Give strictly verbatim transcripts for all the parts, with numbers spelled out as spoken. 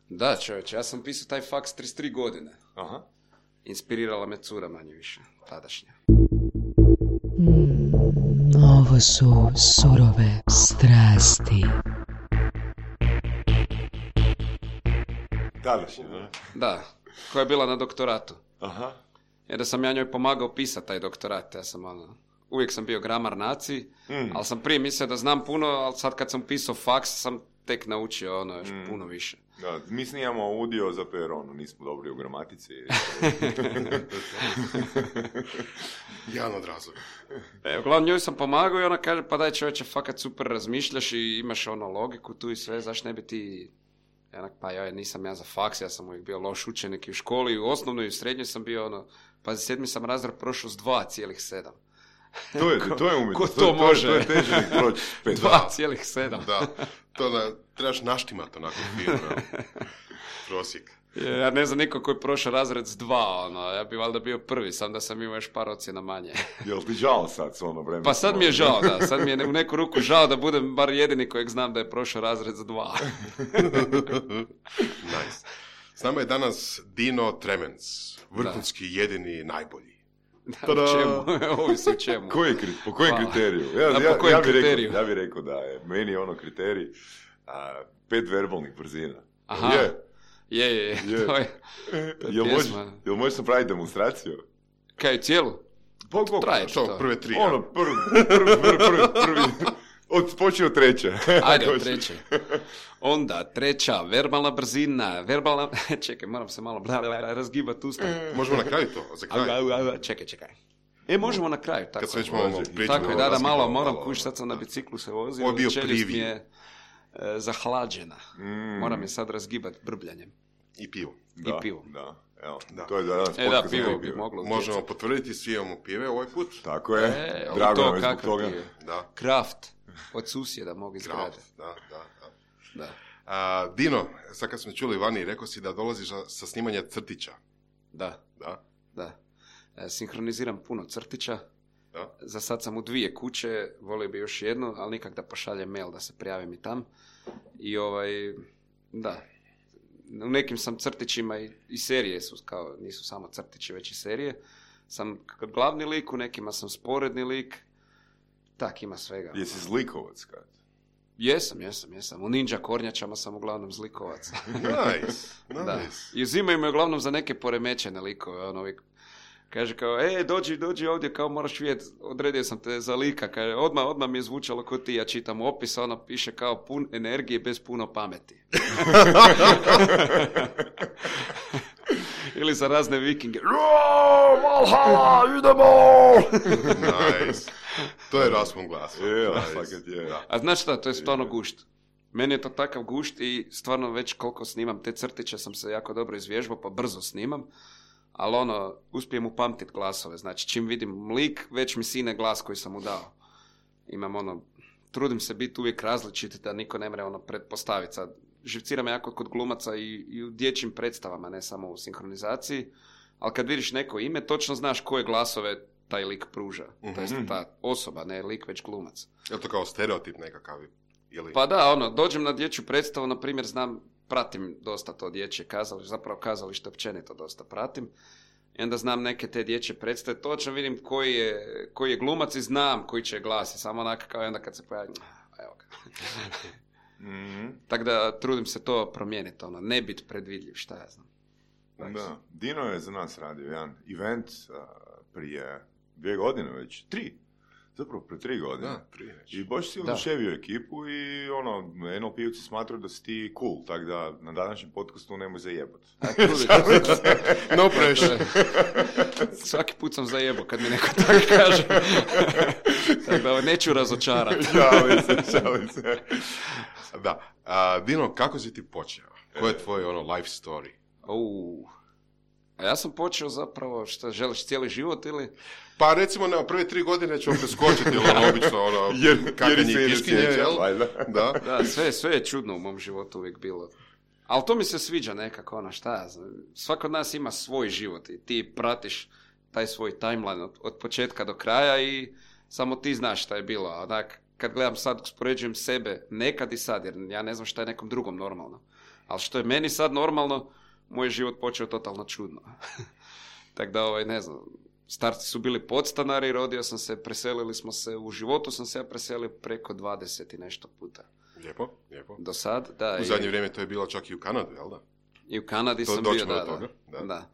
Da, čovječe, ja sam pisao taj faks trideset tri godine. Aha. Inspirirala me cura manje više, tadašnja. Mm, ovo su surove strasti. Tadašnja, ne? Da, koja je bila na doktoratu. Aha. Jer da sam ja njoj pomagao pisati taj doktorat, ja sam ono... Uvijek sam bio gramar naciji, mm. ali sam prije mislio da znam puno, ali sad kad sam pisao faks sam tek naučio ono još mm. puno više. Da, mi snijamo audio zato jer ono, nismo dobri u gramatici. Jedan od razloga. E, uglavnom njoj sam pomagao i ona kaže, pa daj čovječe, fakat super razmišljaš i imaš ono logiku tu i sve, zašto ne bi ti... Jednak, pa ja nisam ja za faks, ja sam uvijek bio loš učenik i u školi, i u osnovnoj i u srednjoj sam bio ono, pa za sedmi sam razred prošao s dva cijelih sedam. To je, to je umjetnost. Ko to, to može? To je, to je teže nek proći. dva cijelih sedam. Da, to da trebaš naštimati onako fino. Prosjek. Ja ne znam niko koji je prošao razred s dva, ono, ja bi valjda bio prvi, sam da sam imao još par ocjena manje. Jel ti žao sad s ono vremena? Pa sad mi je žao, da, sad mi je u neku ruku žao da budem bar jedini kojeg znam da je prošao razred s dva. Nice. S nama je danas Dino Tremens, vrhunski, da. Jedini, najbolji. Da, u čemu? Ovisi u čemu. Koji, po kojem Hvala. kriteriju? Ja, da, ja, po kojem ja, bih kriteriju? rekao, ja bih rekao da je meni ono kriterij a, pet verbalnih brzina. Aha. Je. Je, je, je. je. To je, to je jel, možeš, pjesma. jel možeš napraviti demonstraciju? Kaj, cijelu? Bog, bog. Traje Što, to. prve tri? Ono, prvi, prvi, prvi, prvi, prvi. Od, počeo od treće. Ajde, od treće. Onda, treća, verbalna brzina, verbalna... Čekaj, moram se malo bla, bla, bla, razgibati usta. Možemo na kraju to, za kraj. Čekaj, čekaj. E, možemo na kraju, tako. Kad se već malo pričamo. Tako je, da, da, malo moram kući, sad sam na biciklu se vozio. Ovo je bio čeljust mi privij. je e, zahlađena. Mm. Moram je sad razgibati brbljanjem. I pivo. Da, I pivo. Da, evo, Da. to je danas E, da, podcast pivo za bi moglo. Možemo potvrditi, svi imamo pive ovaj put. Tako je, E, drago to nam je zbog kakav toga. pive. Da. Kraft. Od susjeda mogu izgraditi. Kraft, da, da, da. Da. A, Dino, sad kad smo čuli vani, rekao si da dolaziš sa snimanja crtića. Da, Da? da. E, sinhroniziram puno crtića. Da. Za sad sam u dvije kuće, volio bi još jednu, ali nikak da pošaljem mail da se prijavim i tam. I ovaj, da, u nekim sam crtićima i, i serije su, kao nisu samo crtići, već i serije. Sam glavni lik, u nekima sam sporedni lik, tak ima svega. Jesi zlikovac kad? Jesam, jesam, jesam. U Ninja Kornjačama sam uglavnom zlikovac. Nice, Da. nice. I uzimaju me uglavnom za neke poremećene likove, ono uvijek. Kaže kao, e, dođi, dođi ovdje, kao moraš vidjeti, odredio sam te za lika. Kaže, odmah, odmah mi je zvučalo ko ti, ja čitam opis, ono piše kao pun energije bez puno pameti. Ili za razne vikinge. Valhalla, idemo! Nice. To je raspon glasa. Je, Nice. fakat je. Da. A znaš šta, to je stvarno gušt. Meni je to takav gušt i stvarno već koliko snimam te crtiće sam se jako dobro izvježbao, pa brzo snimam. Ali ono, uspijem upamtiti glasove. Znači, čim vidim lik, već mi sine glas koji sam mu dao. Imam ono, trudim se biti uvijek različit da niko ne mre ono pretpostaviti. Sad, živcira me jako kod glumaca i, i u dječjim predstavama, ne samo u sinhronizaciji. Ali kad vidiš neko ime, točno znaš koje glasove taj lik pruža. Mm-hmm. To jest ta osoba, ne lik, već glumac. Je li to kao stereotip nekakav? Ili... Pa da, ono, dođem na dječju predstavu, na primjer, znam, pratim dosta to dječje kazalište, zapravo kazalište općenito dosta pratim. I onda znam neke te dječje predstave, točno vidim koji je, koji je glumac i znam koji će glasi, samo onako kao onda kad se pojavi, evo ga. Mm-hmm. Tako da trudim se to promijeniti, ono, ne biti predvidljiv, šta ja znam. Da. Dino je za nas radio jedan event uh, prije dvije godine već, tri. Zapravo, pre tri godine. Da, prije već. I baš si oduševio ekipu i ono, en el pe-ovci smatraju da si ti cool, tako da na današnjem podcastu nemoj zajebat. No pressure. Svaki put sam zajebao kad mi neko tako kaže. Tako da neću razočarati. Šalim se, šalim se. Da. A, Dino, kako si ti počeo? Ko je tvoj ono life story? Uh. A ja sam počeo zapravo, što želiš cijeli život ili... Pa recimo, ne, prve tri godine ćemo preskočiti, ili ono, obično, ono, jer, kakanje jer i piškinje, jel? Da. Da, sve, sve je čudno u mom životu uvijek bilo. Ali to mi se sviđa nekako, ono, šta ja znam. Svako od nas ima svoj život i ti pratiš taj svoj timeline od, od početka do kraja i samo ti znaš šta je bilo. Onak, kad gledam sad, uspoređujem sebe nekad i sad, jer ja ne znam šta je nekom drugom normalno. Ali što je meni sad normalno, moj život počeo totalno čudno. Tako da, ovaj, ne znam, starci su bili podstanari, rodio sam se, preselili smo se, u životu sam se ja preselio preko dvadeset i nešto puta. Lijepo, lijepo. Do sad, da. U zadnje i... vrijeme to je bilo čak i u Kanadi, jel da? I u Kanadi to, sam bio, da, toga, da. da.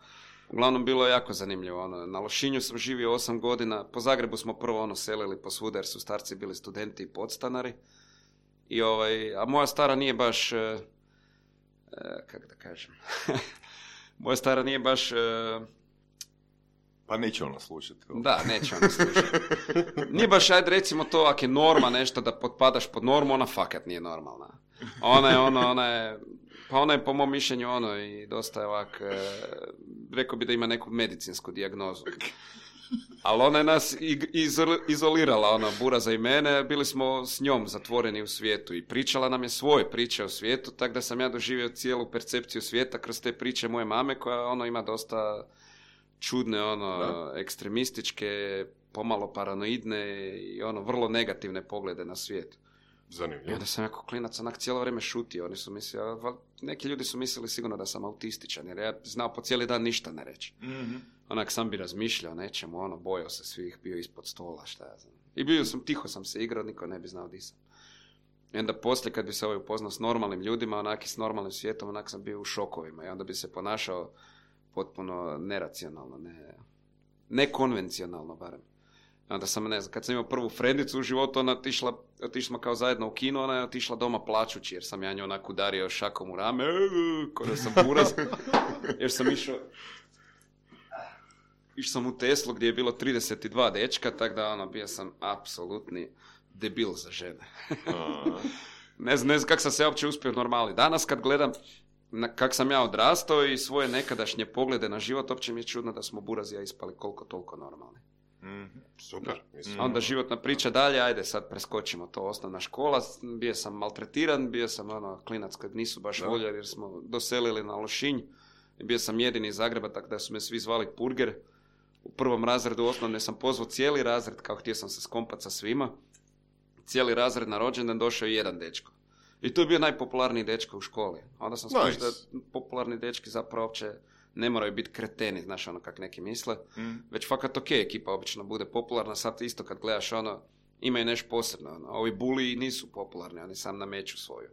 Uglavnom, bilo je jako zanimljivo. Ono, na Lošinju sam živio osam godina. Po Zagrebu smo prvo ono selili po svuda jer su starci bili studenti i podstanari. I ovaj, a moja stara nije baš... E, e, kako da kažem... moja stara nije baš... E, pa neće ona slušati. Da, neće ona slušati. Nije baš, ajde recimo to, ako je norma nešto da potpadaš pod normu, ona fakat nije normalna. Ona je ono, ona je... Pa ona je po mom mišljenju ono i dosta je ovak, e, rekao bi da ima neku medicinsku dijagnozu. Ali ona je nas iz, izolirala, ona, Buraza i mene, bili smo s njom zatvoreni u svijetu i pričala nam je svoje priče o svijetu, tako da sam ja doživio cijelu percepciju svijeta kroz te priče moje mame, koja ono ima dosta čudne, ono, da. ekstremističke, pomalo paranoidne i ono, vrlo negativne poglede na svijet. Zanimljivo. I onda sam jako klinac onak cijelo vrijeme šutio. Oni su mislili, neki ljudi su mislili sigurno da sam autističan, jer ja znao po cijeli dan ništa ne reći. Mm-hmm. Onak sam bi razmišljao nečemu, ono, bojao se svih, bio ispod stola, šta ja znam. I bio sam, tiho sam se igrao, niko ne bi znao di sam. I onda poslije, kad bi se ovaj upoznao s normalnim ljudima, onak i s normalnim svijetom, onak sam bio u šokovima. I onda bi se ponašao potpuno neracionalno, ne, nekonvencionalno barem. Onda sam, ne znam, kad sam imao prvu frendicu u životu, ona otišla, otišla smo kao zajedno u kino, ona je otišla doma plačući, jer sam ja nju onak udario šakom u rame, ko da sam buraz, jer sam išao, išao sam u Teslu gdje je bilo trideset dva dečka, tako da ono, bio sam apsolutni debil za žene. ne znam, ne znam kako sam se uopće uspio normali. Danas kad gledam kako sam ja odrastao i svoje nekadašnje poglede na život, uopće mi je čudno da smo burazija ispali koliko toliko normalni. Mm-hmm. Super. Mislim. Onda životna priča dalje, ajde sad preskočimo to, osnovna škola, bio sam maltretiran, bio sam ono klinac kojeg nisu baš da. voljeli jer smo doselili na Lošinj, bio sam jedini iz Zagreba, tako da su me svi zvali Purger. U prvom razredu osnovne sam pozvao cijeli razred, kao htio sam se skompat sa svima, cijeli razred na rođendan došao i jedan dečko. I to je bio najpopularniji dečko u školi. Onda sam skušao nice. da popularni dečki zapravo uopće ne moraju biti kreteni, znaš ono kak neki misle, mm. već fakat ok, ekipa obično bude popularna, sad isto kad gledaš ono, imaju nešto posebno, ono, ovi buliji nisu popularni, oni sam nameću svoju.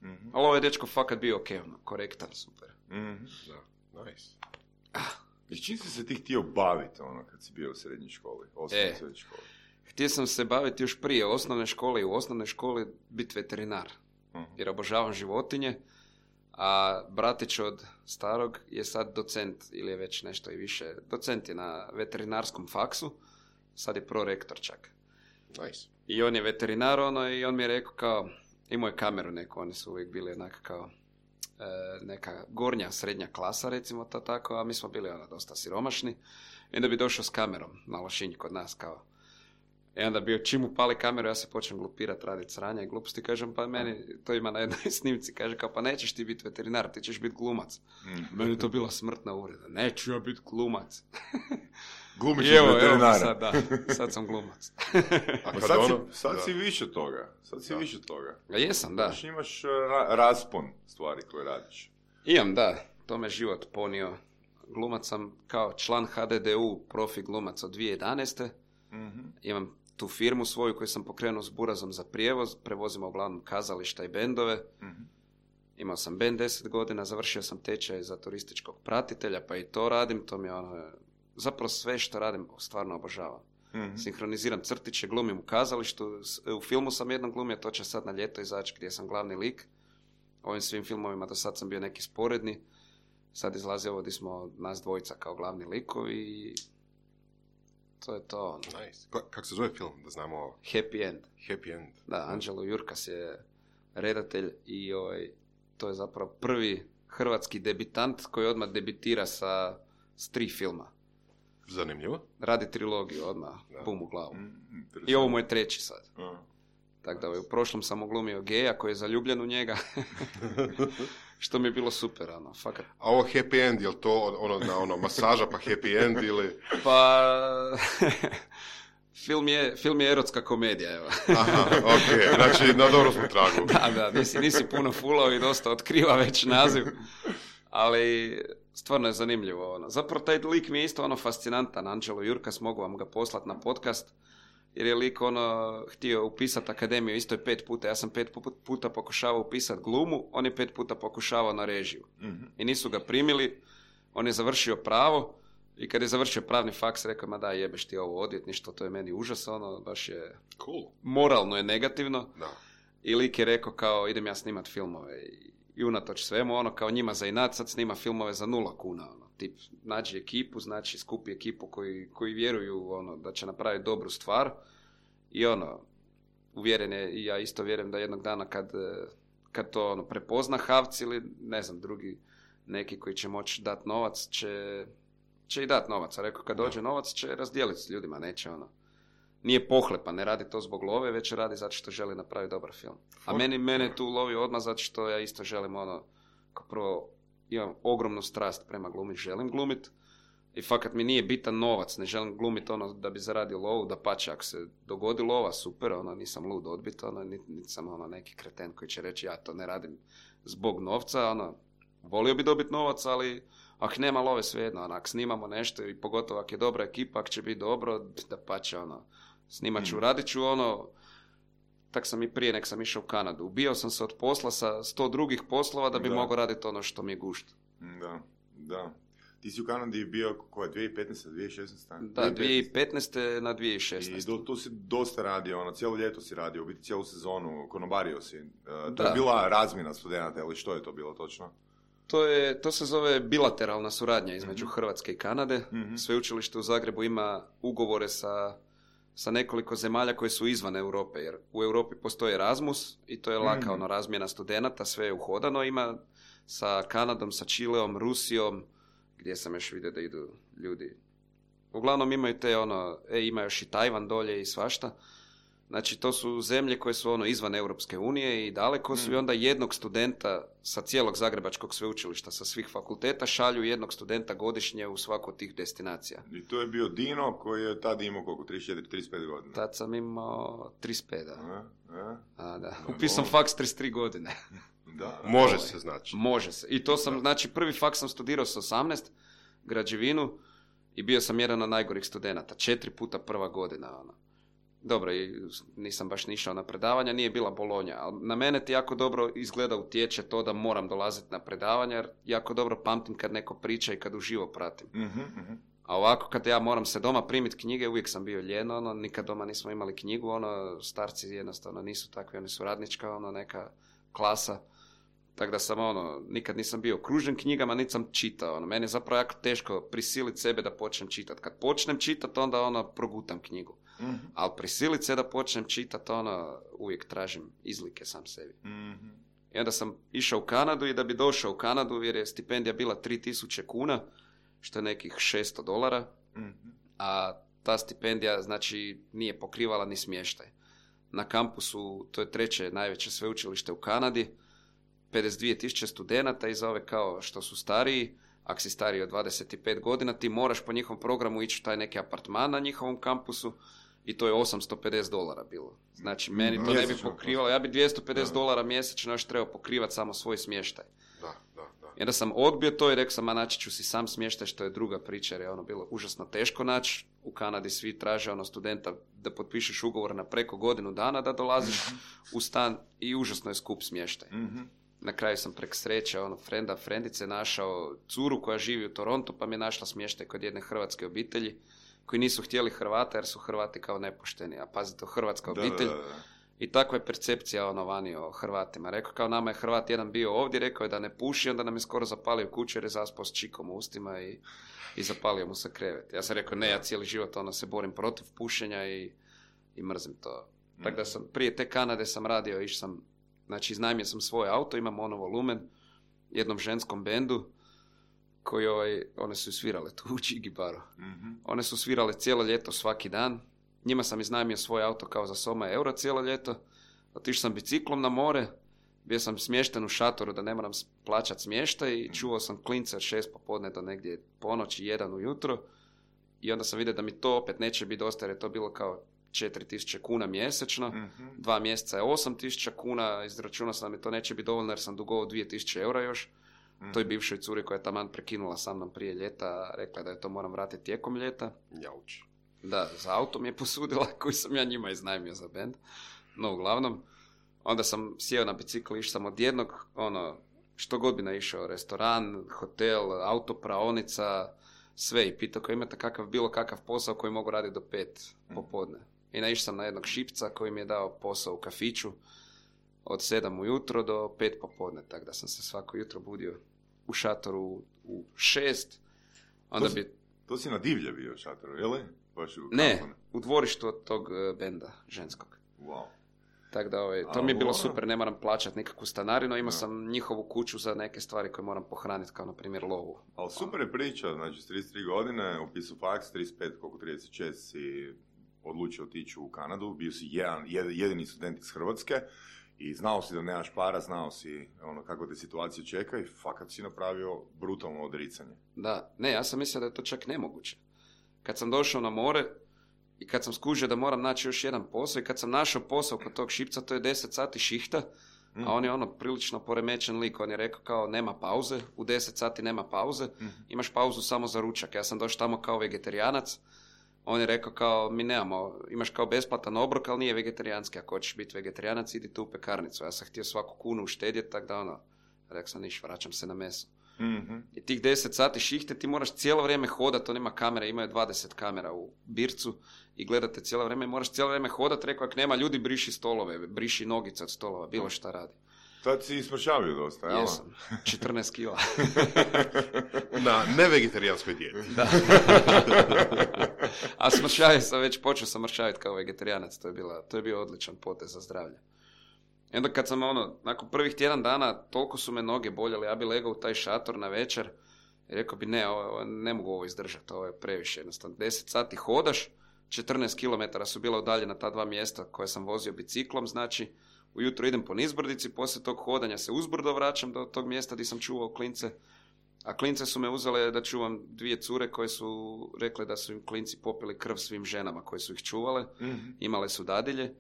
Mm-hmm. Ali ovaj dečko fakat bio ok, ono, korektan, super. Mm-hmm. Da, nice. Ah. I čim si se ti htio baviti, ono, kad si bio u srednjoj školi, osnovnoj e, srednjoj školi? Htio sam se baviti još prije osnovne škole i u osnovnoj školi biti veterinar, mm-hmm. jer obožavam životinje. A bratić od starog je sad docent, ili je već nešto i više, docent je na veterinarskom faksu, sad je prorektor čak. Nice. I on je veterinar, ono, i on mi je rekao kao, imao je kameru neku, oni su uvijek bili onak kao e, neka gornja, srednja klasa, recimo to tako, a mi smo bili ono, dosta siromašni. I onda bi došao s kamerom na Lošinj kod nas, kao. I onda bio, čim upali kameru, ja se počnem glupirat, raditi sranja i gluposti, kažem, pa meni, to ima na jednoj snimci, kaže, kao, pa nećeš ti biti veterinar, ti ćeš biti glumac. Mm. Meni to bila smrtna uvreda, neću ja biti glumac. Glumić je veterinara. Sad, da, sad sam glumac. A sad, ono, si, sad si više toga, sad si da. više toga. Ja jesam, da. Znači imaš ra- raspon stvari koje radiš. Imam, da, to me život ponio. Glumac sam kao član H D D U, profi glumac od dvije tisuće jedanaeste. Mm-hmm. Imam tu firmu svoju koju sam pokrenuo s Burazom za prijevoz, prevozimo uglavnom kazališta i bendove. Mm-hmm. Imao sam bend deset godina, završio sam tečaj za turističkog pratitelja, pa i to radim, to mi je ono, zapravo sve što radim stvarno obožavam. Mm-hmm. Sinhroniziram crtiće, glumim u kazalištu, u filmu sam jednom glumio, to će sad na ljeto izaći gdje sam glavni lik. Ovim svim filmovima do sad sam bio neki sporedni, sad izlazi ovo gdje smo nas dvojica kao glavni likovi i to je to. Nice. K- kako se zove film, da znamo ovo? Happy End. Happy End. Da, Anđelo Jurkas je redatelj i ovaj, to je zapravo prvi hrvatski debitant koji odmah debitira sa s tri filma. Zanimljivo. Radi trilogiju odmah, da. Bum u glavu. Mm, I ovo mu je treći sad. Uh. Tako da ovaj, u prošlom sam uglumio geja koji je zaljubljen u njega. Što mi je bilo super, ono, fakat. A ovo happy end, je li to ono, na ono, masaža pa happy end ili... Pa, Film je, film je erotska komedija, evo. Aha, ok, znači na dobro smo tragu. Da, da, nisi, nisi puno fulao i dosta otkriva već naziv, ali stvarno je zanimljivo. Ono. Zapravo taj lik mi je isto ono fascinantan, Anđelo Jurkas, mogu vam ga poslati na podcast, jer je lik ono htio upisati akademiju, isto je pet puta, ja sam pet puta pokušavao upisati glumu, on je pet puta pokušavao na režiju. Mm-hmm. I nisu ga primili, on je završio pravo, i kad je završio pravni faks, rekao, ma da, jebeš ti ovo odvjetništvo, to je meni užas, ono, baš je, cool. Moralno je negativno. Da. I lik je rekao, kao, idem ja snimat filmove. I, i unatoč svemu, ono, kao njima za inat, sad snima filmove za nula kuna, ono, tip, nađi ekipu, znači, skupi ekipu koji, koji vjeruju, ono, da će napraviti dobru stvar. I ono, uvjeren je, i ja isto vjerujem da jednog dana kad, kad to, ono, prepozna Havc ili, ne znam, drugi neki koji će moći dati novac, će... će i dati novac, a rekao kad dođe novac će razdijeliti s ljudima, neće ono. Nije pohlepa, ne radi to zbog love, već radi zato što želi napraviti dobar film. A meni, mene tu lovi odmah zato što ja isto želim ono, kao prvo imam ogromnu strast prema glumi, želim glumit i fakat mi nije bitan novac, ne želim glumiti ono da bi zaradio lovu, da pače ako se dogodi lova, super, ono, nisam lud odbit, ono, niti nit sam ono neki kreten koji će reći ja to ne radim zbog novca, ono, volio bi dobiti novac, ali ako nema love, svejedno, ono, ako snimamo nešto i pogotovo ako je dobra ekipa, ako će biti dobro, da pače, ono, snimat ću, mm. radit ću, ono, tak sam i prije, nek sam išao u Kanadu. Ubio sam se od posla sa sto drugih poslova da bi da. mogao raditi ono što mi je gušt. Da, da. Ti si u Kanadi bio, koje, dvije tisuće petnaeste, dvije tisuće šesnaeste? Da, dvije tisuće petnaeste na dvije tisuće šesnaeste. I do, tu si dosta radio, ono, cijelo ljeto si radio, u biti cijelu sezonu, konobario si. Uh, to je bila razmjena studenata, ili što je to bilo točno? To, je, to se zove bilateralna suradnja između mm-hmm. Hrvatske i Kanade. Mm-hmm. Sveučilište u Zagrebu ima ugovore sa, sa nekoliko zemalja koje su izvan Europe, jer u Europi postoji Erasmus i to je laka mm-hmm. ono, razmjena studenata, sve je uhodano. Ima sa Kanadom, sa Čileom, Rusijom, gdje sam još vidio da idu ljudi. Uglavnom imaju te ono, e, ima još i Tajvan dolje i svašta. Znači, to su zemlje koje su ono izvan Europske unije i daleko su mm. i onda jednog studenta sa cijelog Zagrebačkog sveučilišta, sa svih fakulteta, šalju jednog studenta godišnje u svaku od tih destinacija. I to je bio Dino koji je tad imao koliko, trideset četiri trideset pet godina? Tad sam imao trideset pet, da. A, a? A, da. Upisam faks trideset tri godine. Da, može se, znači. Može se. I to sam, da. znači, prvi faks sam studirao sa osamnaest, građevinu, i bio sam jedan od najgorih studenata. Četiri puta prva godina, ono. Dobro, i nisam baš nišao na predavanja, nije bila Bolonja, ali na mene ti jako dobro izgleda utječe to da moram dolaziti na predavanja, jer jako dobro pamtim kad neko priča i kad uživo pratim. Mm-hmm. A ovako, kad ja moram se doma primiti knjige, uvijek sam bio ljen, ono, nikad doma nismo imali knjigu, ono, starci jednostavno nisu takvi, oni su radnička, ono, neka klasa. Tako da sam, ono, nikad nisam bio okružen knjigama, niti sam čitao, ono, meni je zapravo jako teško prisiliti sebe da počnem čitati. Kad počnem čitati, onda, ono, progutam knjigu. Mm-hmm. Ali prisiliti se da počnem čitati, ono, uvijek tražim izlike sam sebi. Mm-hmm. I onda sam išao u Kanadu i da bi došao u Kanadu, jer je stipendija bila tri tisuće kuna, što je nekih šesto dolara, mm-hmm. a ta stipendija, znači, nije pokrivala ni smještaj. Na kampusu, to je treće najveće sveučilište u Kanadi, pedeset dvije tisuće studenata i za ove kao što su stariji, ako si stariji od dvadeset pet godina, ti moraš po njihovom programu ići u taj neki apartman na njihovom kampusu i to je osamsto pedeset dolara bilo. Znači, meni to ne bi pokrivalo, ja bi dvjesto pedeset dolara mjesečno još trebao pokrivati samo svoj smještaj. Da, da, da. I onda sam odbio to i rekao sam, a naći ću si sam smještaj, što je druga priča, jer je ono bilo užasno teško naći. U Kanadi svi traže ono studenta da potpišeš ugovor na preko godinu dana da dolaziš u stan i užasno je skup smještaj. Mm-hmm. Na kraju sam prek sreće, ono, frenda, frendice našao curu koja živi u Torontu, pa mi je našla smještaj kod jedne hrvatske obitelji, koji nisu htjeli Hrvata, jer su Hrvati kao nepošteni. A pazite, to hrvatska obitelj. Da, da, da. I takva je percepcija ono vani o Hrvatima. Rekao, kao nama je Hrvat jedan bio ovdje, rekao je da ne puši, onda nam je skoro zapalio kuću jer je zaspao s čikom u ustima i, i zapalio mu se krevet. Ja sam rekao, ne, ja cijeli život ono, se borim protiv pušenja i, i mrzim to. Mm. Tako da sam, prije te Kanade sam radio, išao sam, znači iznajmio sam svoj auto, imam ono volumen, jednom ženskom bendu, koji ovaj, one su svirale tu u Čigibaru. Mm-hmm. One su svirale cijelo ljeto svaki dan. Njima sam iznajmio svoj auto kao za soma euro cijelo ljeto. Otišao sam biciklom na more, bio sam smješten u šatoru da ne moram plaćati smještaj i čuvao sam klince od šest popodne do negdje ponoći, jedan ujutro. i onda sam vidio da mi to opet neće biti dosta, jer je to bilo kao četiri tisuće kuna mjesečno, Mhm. dva mjeseca je osam tisuća kuna, izračunao sam da mi to neće biti dovoljno jer sam dugovao dvije tisuće eura još. Mhm. Toj bivšoj curi koja je taman prekinula sa mnom prije ljeta, rekla da je to moram vratiti tijekom ljeta. Jauč. Da, za auto mi je posudila koji sam ja njima iznajmio za bend. No, uglavnom, onda sam sjeo na bicikl, išao sam od jednog, ono, što god bi naišao, restoran, hotel, autopraonica, sve i pitao koji imate kakav, bilo kakav posao koji mogu raditi do pet popodne. I naišao sam na jednog šipca koji mi je dao posao u kafiću od sedam ujutro do pet popodne, tako da sam se svako jutro budio u šatoru u šest, onda To si- bi... To si na divlje bio šatoru, je li? Baš u Ne, Kampanu. u dvorištu od tog e, benda ženskog. Wow. Tako da, ovaj, to A, mi je bilo ono- super, ne moram plaćati nikakvu stanarinu, imao Da. sam njihovu kuću za neke stvari koje moram pohraniti, kao na primjer lovu. Ali super je priča, znači s trideset tri godine, upisao faks, trideset pet, koliko trideset šest si odlučio otići u Kanadu, bio si jedan, jed- jedini student iz Hrvatske i znao si da nemaš para, znao si ono, kako te situacija čeka i fakat si napravio brutalno odricanje. Da, ne, ja sam mislio da je to čak nemoguće. Kad sam došao na more i kad sam skužio da moram naći još jedan posao i kad sam našao posao kod tog šipca, to je deset sati šihta, Mm. a on je ono prilično poremećen lik, on je rekao kao nema pauze, u deset sati nema pauze, Mhm. imaš pauzu samo za ručak. Ja sam došao tamo kao vegetarijanac, on je rekao kao mi nemamo, imaš kao besplatan obrok, ali nije vegetarijanski, ako hoćeš biti vegetarijanac idi tu u pekarnicu. Ja sam htio svaku kunu uštedjeti, tako da ono, rekao sam niš, vraćam se na meso. Mhm. I tih deset sati šihte ti moraš cijelo vrijeme hodati, on ima kamere, imaju dvadeset kamera u bircu i gledate cijelo vrijeme i moraš cijelo vrijeme hodati, rekao ako nema ljudi briši stolove, briši nogice od stolova, bilo šta radi. Tad si smršavio dosta, jel? Jesam, četrnaest kila. Na nevegetarijanskoj dijeti. Da. A smršavio sam već, počeo sam mršaviti kao vegetarijanac, to je, bila, to je bio odličan potez za zdravlje. I onda kad sam ono, nakon prvih tjedan dana, toliko su me noge boljele, ja bi legao u taj šator na večer i rekao bi ne, ovo, ovo, ne mogu ovo izdržati, ovo je previše jednostavno. deset sati hodaš, četrnaest kilometara su bila udaljena ta dva mjesta koje sam vozio biciklom, znači ujutro idem po nizbrdici, poslije tog hodanja se uzbrdo vraćam do tog mjesta gdje sam čuvao klince, a klince su me uzele da čuvam dvije cure koje su rekle da su im klinci popili krv svim ženama koje su ih čuvale, Mhm. imale su dadilje,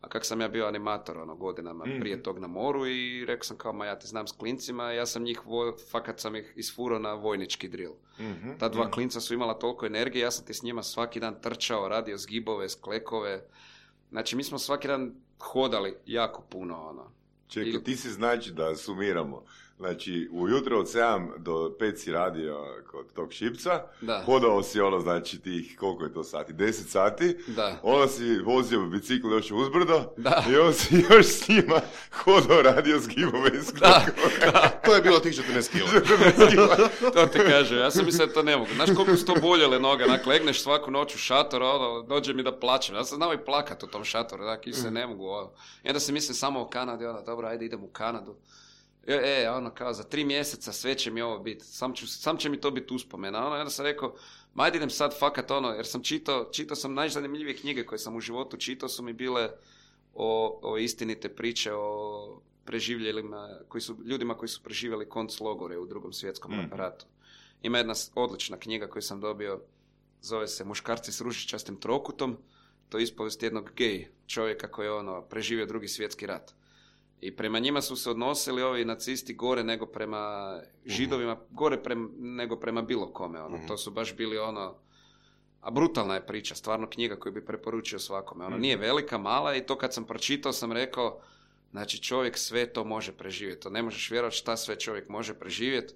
a kak sam ja bio animator ono, godinama Mhm. prije tog na moru i rekao sam kao ma ja te znam s klincima, ja sam njih, vo, fakat sam ih isfurao na vojnički drill. Mhm. Ta dva Mhm. klinca su imala toliko energije, ja sam ti s njima svaki dan trčao, radio zgibove, sklekove, znači mi smo svaki dan hodali jako puno ono. Čekaj, Ili- ti si znači da sumiramo. Znači, ujutro od sedam do pet si radio kod tog šipca, Da. hodao si ono, znači tih, koliko je to sati, deset sati, Da. onda si vozio bicikl još uzbrdo Da. i onda si još s njima hodao, radio zgibove i sklekove. To je bilo tih četrnaest kila. To ti kaže, ja sam mislio da to ne mogu. Znaš koliko su to boljele noge, onak legneš svaku noć u šator, ono, dođe mi da plaćem. Ja sam znao i plakat u tom šatoru, onak, i se ne mogu, ono. I onda se mislim samo o Kanadi, ono, dobro, ajde idem u Kanadu. E, e, ono, kao, za tri mjeseca sve će mi ovo biti, sam, ću, sam će mi to biti uspomena, ono, i onda sam rekao, ma ajde idem sad fakat, ono, jer sam čitao, čitao sam najzanimljivije knjige koje sam u životu čitao, su mi bile o, o istinite priče, o preživljelima, koji su, ljudima koji su preživjeli konclogore u drugom svjetskom Mm. ratu. Ima jedna s- odlična knjiga koju sam dobio, zove se Muškarci s ružičastim trokutom, to je ispovijest jednog gej čovjeka koji je ono, preživio drugi svjetski rat. I prema njima su se odnosili ovi nacisti gore nego prema židovima, gore prema, nego prema bilo kome. Ono. Mhm. To su baš bili ono... A brutalna je priča, stvarno knjiga koju bi preporučio svakome. Ono, nije velika, mala i to kad sam pročitao sam rekao, znači čovjek sve to može preživjeti. To ne možeš vjerovati šta sve čovjek može preživjeti.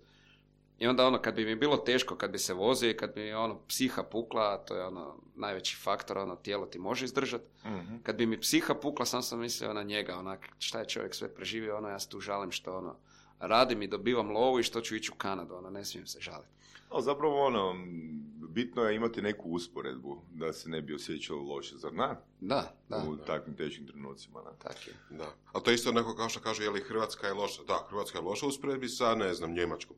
I onda ono, kad bi mi bilo teško, kad bi se vozio i kad bi mi ono psiha pukla, to je ono najveći faktor, ono tijelo ti može izdržati. Mhm. Kad bi mi psiha pukla, sam sam mislio na njega, onak, šta je čovjek sve preživio, ono, ja se tu žalim što, ono, radim i dobivam lovu i što ću ići u Kanadu, ono, ne smijem se žaliti. Ali zapravo ono, m, bitno je imati neku usporedbu da se ne bi osjećalo loše, zar ne? Da, da, U takvim teškim trenucima, ne? tak je. Da. A to je isto neko kao što kaže, je li Hrvatska je loša? Da, Hrvatska je loša u usporedbi sa, ne znam, Njemačkom.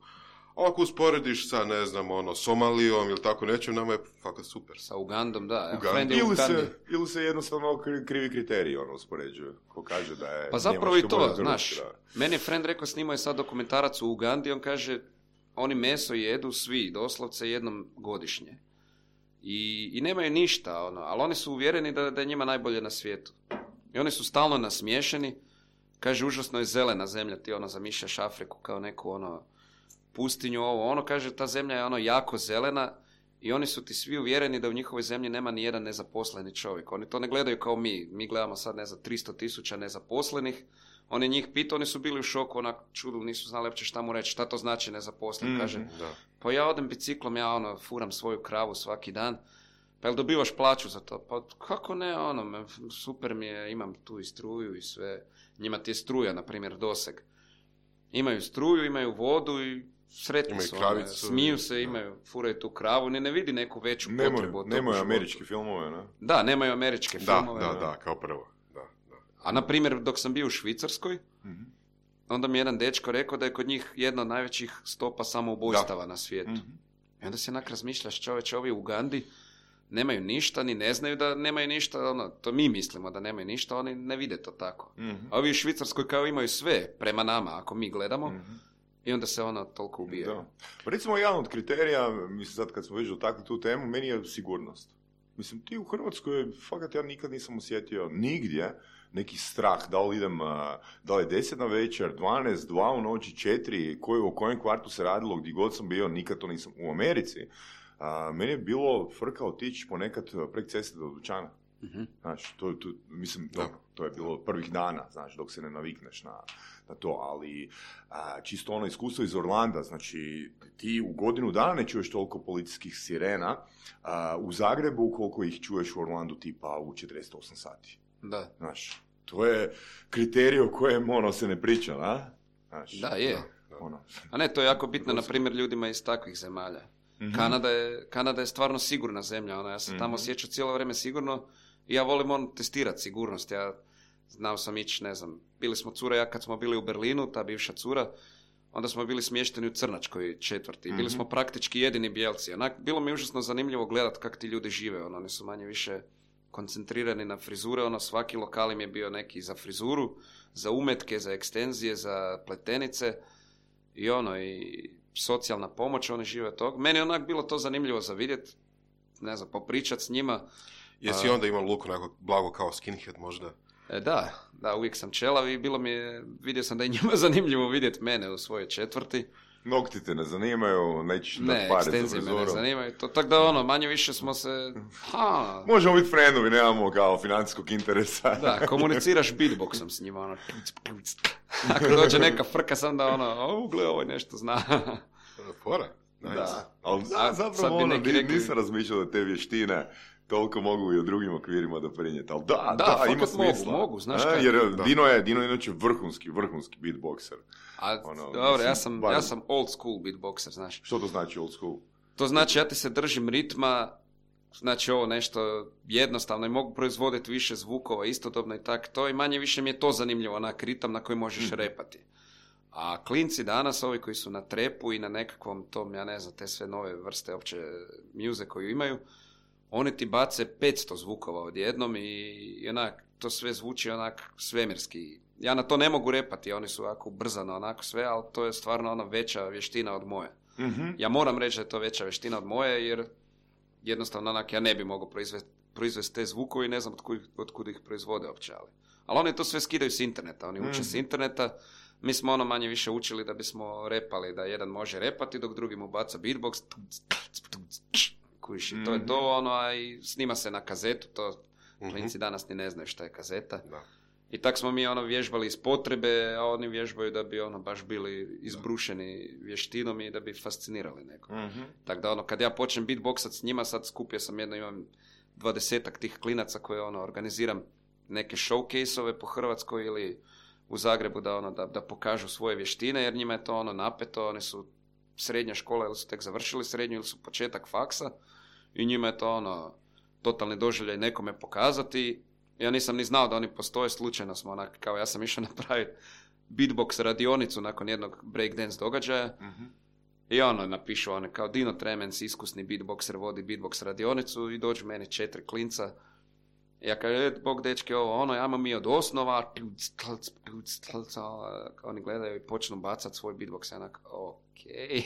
A ako usporediš sa, ne znam, ono, Somalijom ili tako nečem, nama je fakat super. Sa Ugandom, da. Evo, Uganda. friend je u Ili Ugandi. se, ili se jednostavno kri- krivi kriteriji ono uspoređuju. Ko kaže da je Pa zapravo i Njemačka to, bolja od znaš, Hrvatske, da. meni je friend rekao, snimao je sad dokumentarac u Ugandi, on kaže, oni meso jedu svi, doslovce jednom godišnje. I, i nemaju ništa, ono, ali oni su uvjereni da, da je njima najbolje na svijetu. I oni su stalno nasmiješeni. Kaže, užasno je zelena zemlja, ti ono zamišljaš Afriku kao neku ono pustinju, ovo, ono, kaže, ta zemlja je ono jako zelena i oni su ti svi uvjereni da u njihovoj zemlji nema ni jedan nezaposleni čovjek. Oni to ne gledaju kao mi. Mi gledamo sad, ne znam, tristo tisuća nezaposlenih. Oni njih pitao, oni su bili u šoku, onak čudu, nisu znali uopće šta mu reći, šta to znači nezaposlen. Mm, kaže, da. Pa ja odem biciklom, ja ono, furam svoju kravu svaki dan, pa jel dobivaš plaću za to? Pa kako ne, ono, super mi je, imam tu i struju i sve. Njima ti je struja, na primjer, doseg. Imaju struju, imaju vodu i sretni su, ono, smiju se, imaju, furaju tu kravu, ni ne vidi neku veću nemoj, potrebu od nemaju američke filmove, ne? Da, nemaju američke da, filmove. Da, da, da, kao prvo. A na primjer, dok sam bio u Švicarskoj, mm-hmm. onda mi je jedan dečko rekao da je kod njih jedna od najvećih stopa samoubojstava da. na svijetu. Mm-hmm. I onda se onak razmišljaš, čovječe, ovi u Ugandi nemaju ništa, ni ne znaju da nemaju ništa, ono, to mi mislimo da nemaju ništa, oni ne vide to tako. Mm-hmm. A ovi u Švicarskoj kao imaju sve prema nama, ako mi gledamo, mm-hmm. i onda se ono toliko ubije. Da. Pa recimo, jedan od kriterija, mislim sad kad smo već dotakli tu temu, meni je sigurnost. Mislim, ti u Hrvatskoj, fakat ja nikad nisam osjetio nigdje neki strah, da li idem, da li je deset na večer, dvanaest, dva u noći, četiri, koji, o kojem kvartu se radilo, gdje god sam bio, nikad to nisam. U Americi, a, meni je bilo frka otići ponekad prek ceste do dućana. Mm-hmm. Znaš, to, to, mislim, to, to je bilo prvih dana, znaš, dok se ne navikneš na, na to, ali a, čisto ono iskustvo iz Orlanda, znači, ti u godinu dana ne čuješ toliko policijskih sirena, a, u Zagrebu koliko ih čuješ u Orlandu tipa u četrdeset osam sati. Da. Znaš, to je kriterij o kojem ono se ne priča, a? Znaš, da, je. Da, ono. A ne, to je jako bitno, na primjer, ljudima iz takvih zemalja. Mm-hmm. Kanada je, Kanada je stvarno sigurna zemlja, ono, ja sam mm-hmm. tamo osjećao cijelo vrijeme sigurno i ja volim on testirati sigurnost, ja znao sam ići, ne znam, bili smo cura, ja kad smo bili u Berlinu, ta bivša cura, onda smo bili smješteni u Crnačkoj četvrti, mm-hmm. bili smo praktički jedini bijelci, onak, bilo mi užasno zanimljivo gledati kako ti ljudi žive, ono, oni su manje više koncentrirani na frizure, ono, svaki lokal im je bio neki za frizuru, za umetke, za ekstenzije, za pletenice i ono, i socijalna pomoć, oni žive od toga. Meni je onak bilo to zanimljivo za vidjeti, ne znam, popričat s njima. Jesi onda imao luk onako blago kao skinhead možda? E, da, da, uvijek sam čelav i bilo mi je, vidio sam da je njima zanimljivo vidjeti mene u svojoj četvrti. Nokti te ne zanimaju, nećeš ne, dati pare za ekstenzije frizuru. Me ne zanimaju, to, tako da ono, manje više smo se... Ha. Možemo biti friendovi, nemamo kao financijskog interesa. Da, komuniciraš beatboxom s njima, ono... Ako dođe neka frka, sam da ono, o, gle, ovo nešto zna. Fora. Nice. Da, ali da, zapravo ono, neki, neki... nisam razmišljao da te vještine toliko mogu i u drugim okvirima doprinijeti, ali da, da, da ima smisla. Mogu, mogu, znaš A, kaj? Jer da. Dino je, Dino je inače vrhunski, vrhunski beatboxer. A, ono, dobro, mislim, ja sam, bar... ja sam old school beatboxer, znaš. Što to znači old school? To znači ja ti se držim ritma, znači ovo nešto jednostavno i mogu proizvoditi više zvukova istodobno i tak, to i manje više mi je to zanimljivo, onak ritam na koji možeš mm. repati. A klinci danas, ovi koji su na trepu i na nekakvom tom, ja ne znam, te sve nove vrste opće muze koju imaju, oni ti bace petsto zvukova odjednom i, i onak, to sve zvuči onak svemirski. Ja na to ne mogu repati, oni su ovako brzano onako sve, ali to je stvarno ona veća vještina od moje. Mm-hmm. Ja moram reći da je to veća vještina od moje, jer jednostavno onak ja ne bi mogao proizvesti, proizvesti te zvukove i ne znam od kud, od kud ih proizvode opće, ali. Ali oni to sve skidaju s interneta, oni uče mm-hmm. s interneta. Mi smo ono manje više učili da bismo repali, da jedan može repati dok drugi mu baca beatbox. Kuši, mm-hmm. to je to ono, a i snima se na kazetu, to klinci mm-hmm. danas ni ne znaju šta je kazeta. Da. I tak smo mi ono vježbali iz potrebe, a oni vježbaju da bi ono baš bili izbrušeni vještinom i da bi fascinirali neko. Mm-hmm. Tako da ono, kad ja počnem beatboxat s njima, sad skupio sam jedno, imam dvadesetak tih klinaca koje ono, organiziram neke showcase-ove po Hrvatskoj ili u Zagrebu da ono, da, da pokažu svoje vještine, jer njima je to ono napeto, oni su srednja škola ili su tek završili srednju ili su početak faksa i njima je to ono totalni doživljaj nekome pokazati. Ja nisam ni znao da oni postoje, slučajno smo onak, kao ja sam išao napraviti beatbox radionicu nakon jednog breakdance događaja mm-hmm. i ono napišu one kao Dino Tremens, iskusni beatboxer, vodi beatbox radionicu i dođu meni četiri klinca. Ja kažem, bog dečke, ovo ono, ajmo mi od osnova, oni gledaju i počnu bacati svoj beatbox, ja onak, o, okej.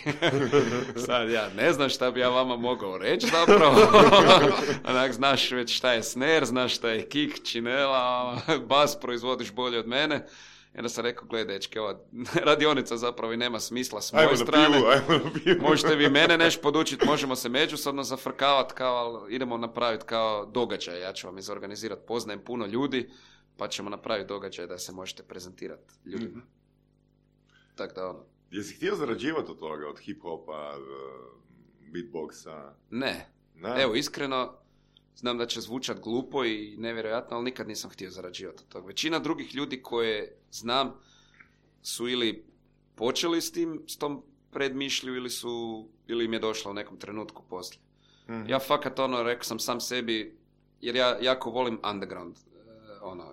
Sad ja ne znam šta bi ja vama mogao reći zapravo. Onak, znaš već šta je snare, znaš šta je kick, činela, bas proizvodiš bolje od mene. I onda sam rekao, gledaj, dečki, ova radionica zapravo i nema smisla s moje Ajmo strane. Pivu, ajmo na pivu. Možete vi mene nešto podučiti, možemo se međusobno zafrkavati, kao, ali idemo napraviti kao događaj. Ja ću vam izorganizirati, poznajem puno ljudi, pa ćemo napraviti događaj da se možete prezentirati ljudima. Mm-hmm. Tako da ono. Jesi htio zarađivati od toga, od hip-hopa, beatboxa? Ne. ne. Evo, iskreno, znam da će zvučat glupo i nevjerojatno, ali nikad nisam htio zarađivati od toga. Većina drugih ljudi koje znam su ili počeli s tim, s tom predmišlju, ili su, ili im je došla u nekom trenutku poslije. Mm-hmm. Ja fakat ono, rekao sam sam sebi, jer ja jako volim underground, ono,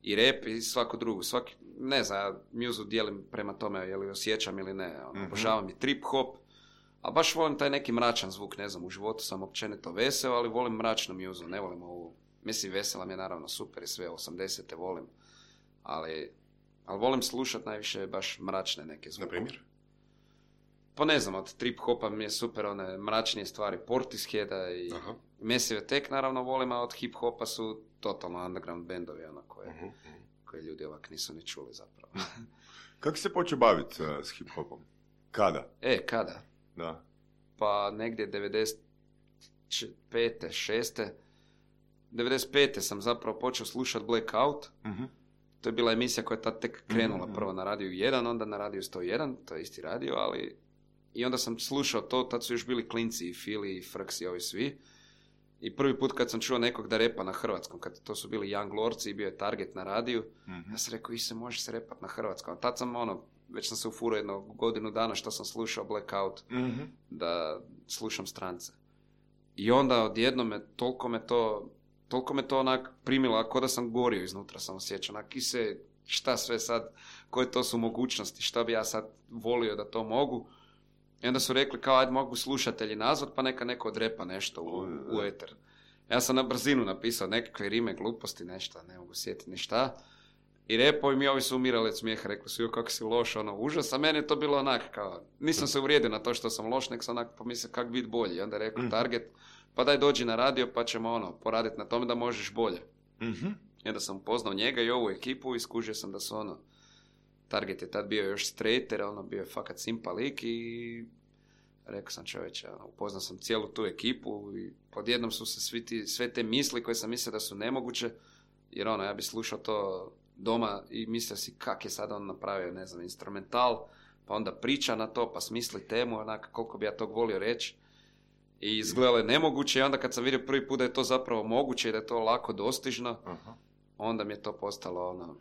i rap i svako drugo, svaki, ne znam, ja muzu dijelim prema tome, je li osjećam ili ne, ono, mm-hmm. obožavam i trip hop, a baš volim taj neki mračan zvuk, ne znam, u životu sam općenito veseo, ali volim mračnu muzu, ne volim ovu, mislim, vesela mi je naravno super i sve, osamdesete volim, ali, ali volim slušat najviše baš mračne neke zvuke. Na primjer? Pa ne znam, od trip hopa mi je super one mračnije stvari, Portisheada i Aha. Massive Attack naravno volim, a od hip hopa su totalno underground bendovi, ono, koje, uh-huh. koje ljudi ovak nisu ni čuli zapravo. Kako se počeo baviti uh, s hip hopom? Kada? E, kada? Da. Pa negdje devedeset pete, šeste devedeset pete sam zapravo počeo slušati Blackout. Uh-huh. To je bila emisija koja je tad tek krenula, uh-huh. prvo na radiju jedan, onda na radiju sto jedan, to je isti radio, ali i onda sam slušao to, tad su još bili klinci i Fili i Frks i ovi svi. I prvi put kad sam čuo nekog da repa na hrvatskom, kad to su bili Young Lordsi i bio je Target na radiju, uh-huh. ja sam rekao, i se može se repat na hrvatskom. Tad sam ono, već sam se ufurao jedno godinu dana što sam slušao Blackout, uh-huh. da slušam strance. I onda odjedno me, toliko me to, toliko me to onak primilo, ako da sam gorio iznutra, sam osjećao, onak, i se, šta sve sad, koje to su mogućnosti, šta bi ja sad volio da to mogu. I onda su rekli, kao, ajde, mogu slušatelji nazvat, pa neka neko odrepa nešto u, u eter. Ja sam na brzinu napisao nekakve rime, gluposti, nešto, ne mogu sjetiti ni šta. I repovi mi ovi su umirali od smijeha, rekli su, jo, kako si loš, ono, užas. A meni je to bilo onak, kao, nisam se uvrijedio na to što sam loš, nek sam onak pomislio kak biti bolji. I onda je rekao, Target, pa daj dođi na radio, pa ćemo, ono, poraditi na tome da možeš bolje. Mm-hmm. I onda sam upoznao njega i ovu ekipu i skužio sam da su, ono, Target je tad bio još straighter, ono, bio je fakat simpa lik i rekao sam, čovječe, ono, upoznao sam cijelu tu ekipu i odjednom su se svi ti, sve te misli koje sam mislio da su nemoguće, jer ono, ja bi slušao to doma i mislio si kak je sad on napravio, ne znam, instrumental, pa onda priča na to, pa smisli temu, onak, koliko bi ja tog volio reći. I izgledalo je nemoguće i onda kad sam vidio prvi put da je to zapravo moguće i da je to lako dostižno, Aha. onda mi je to postalo ono...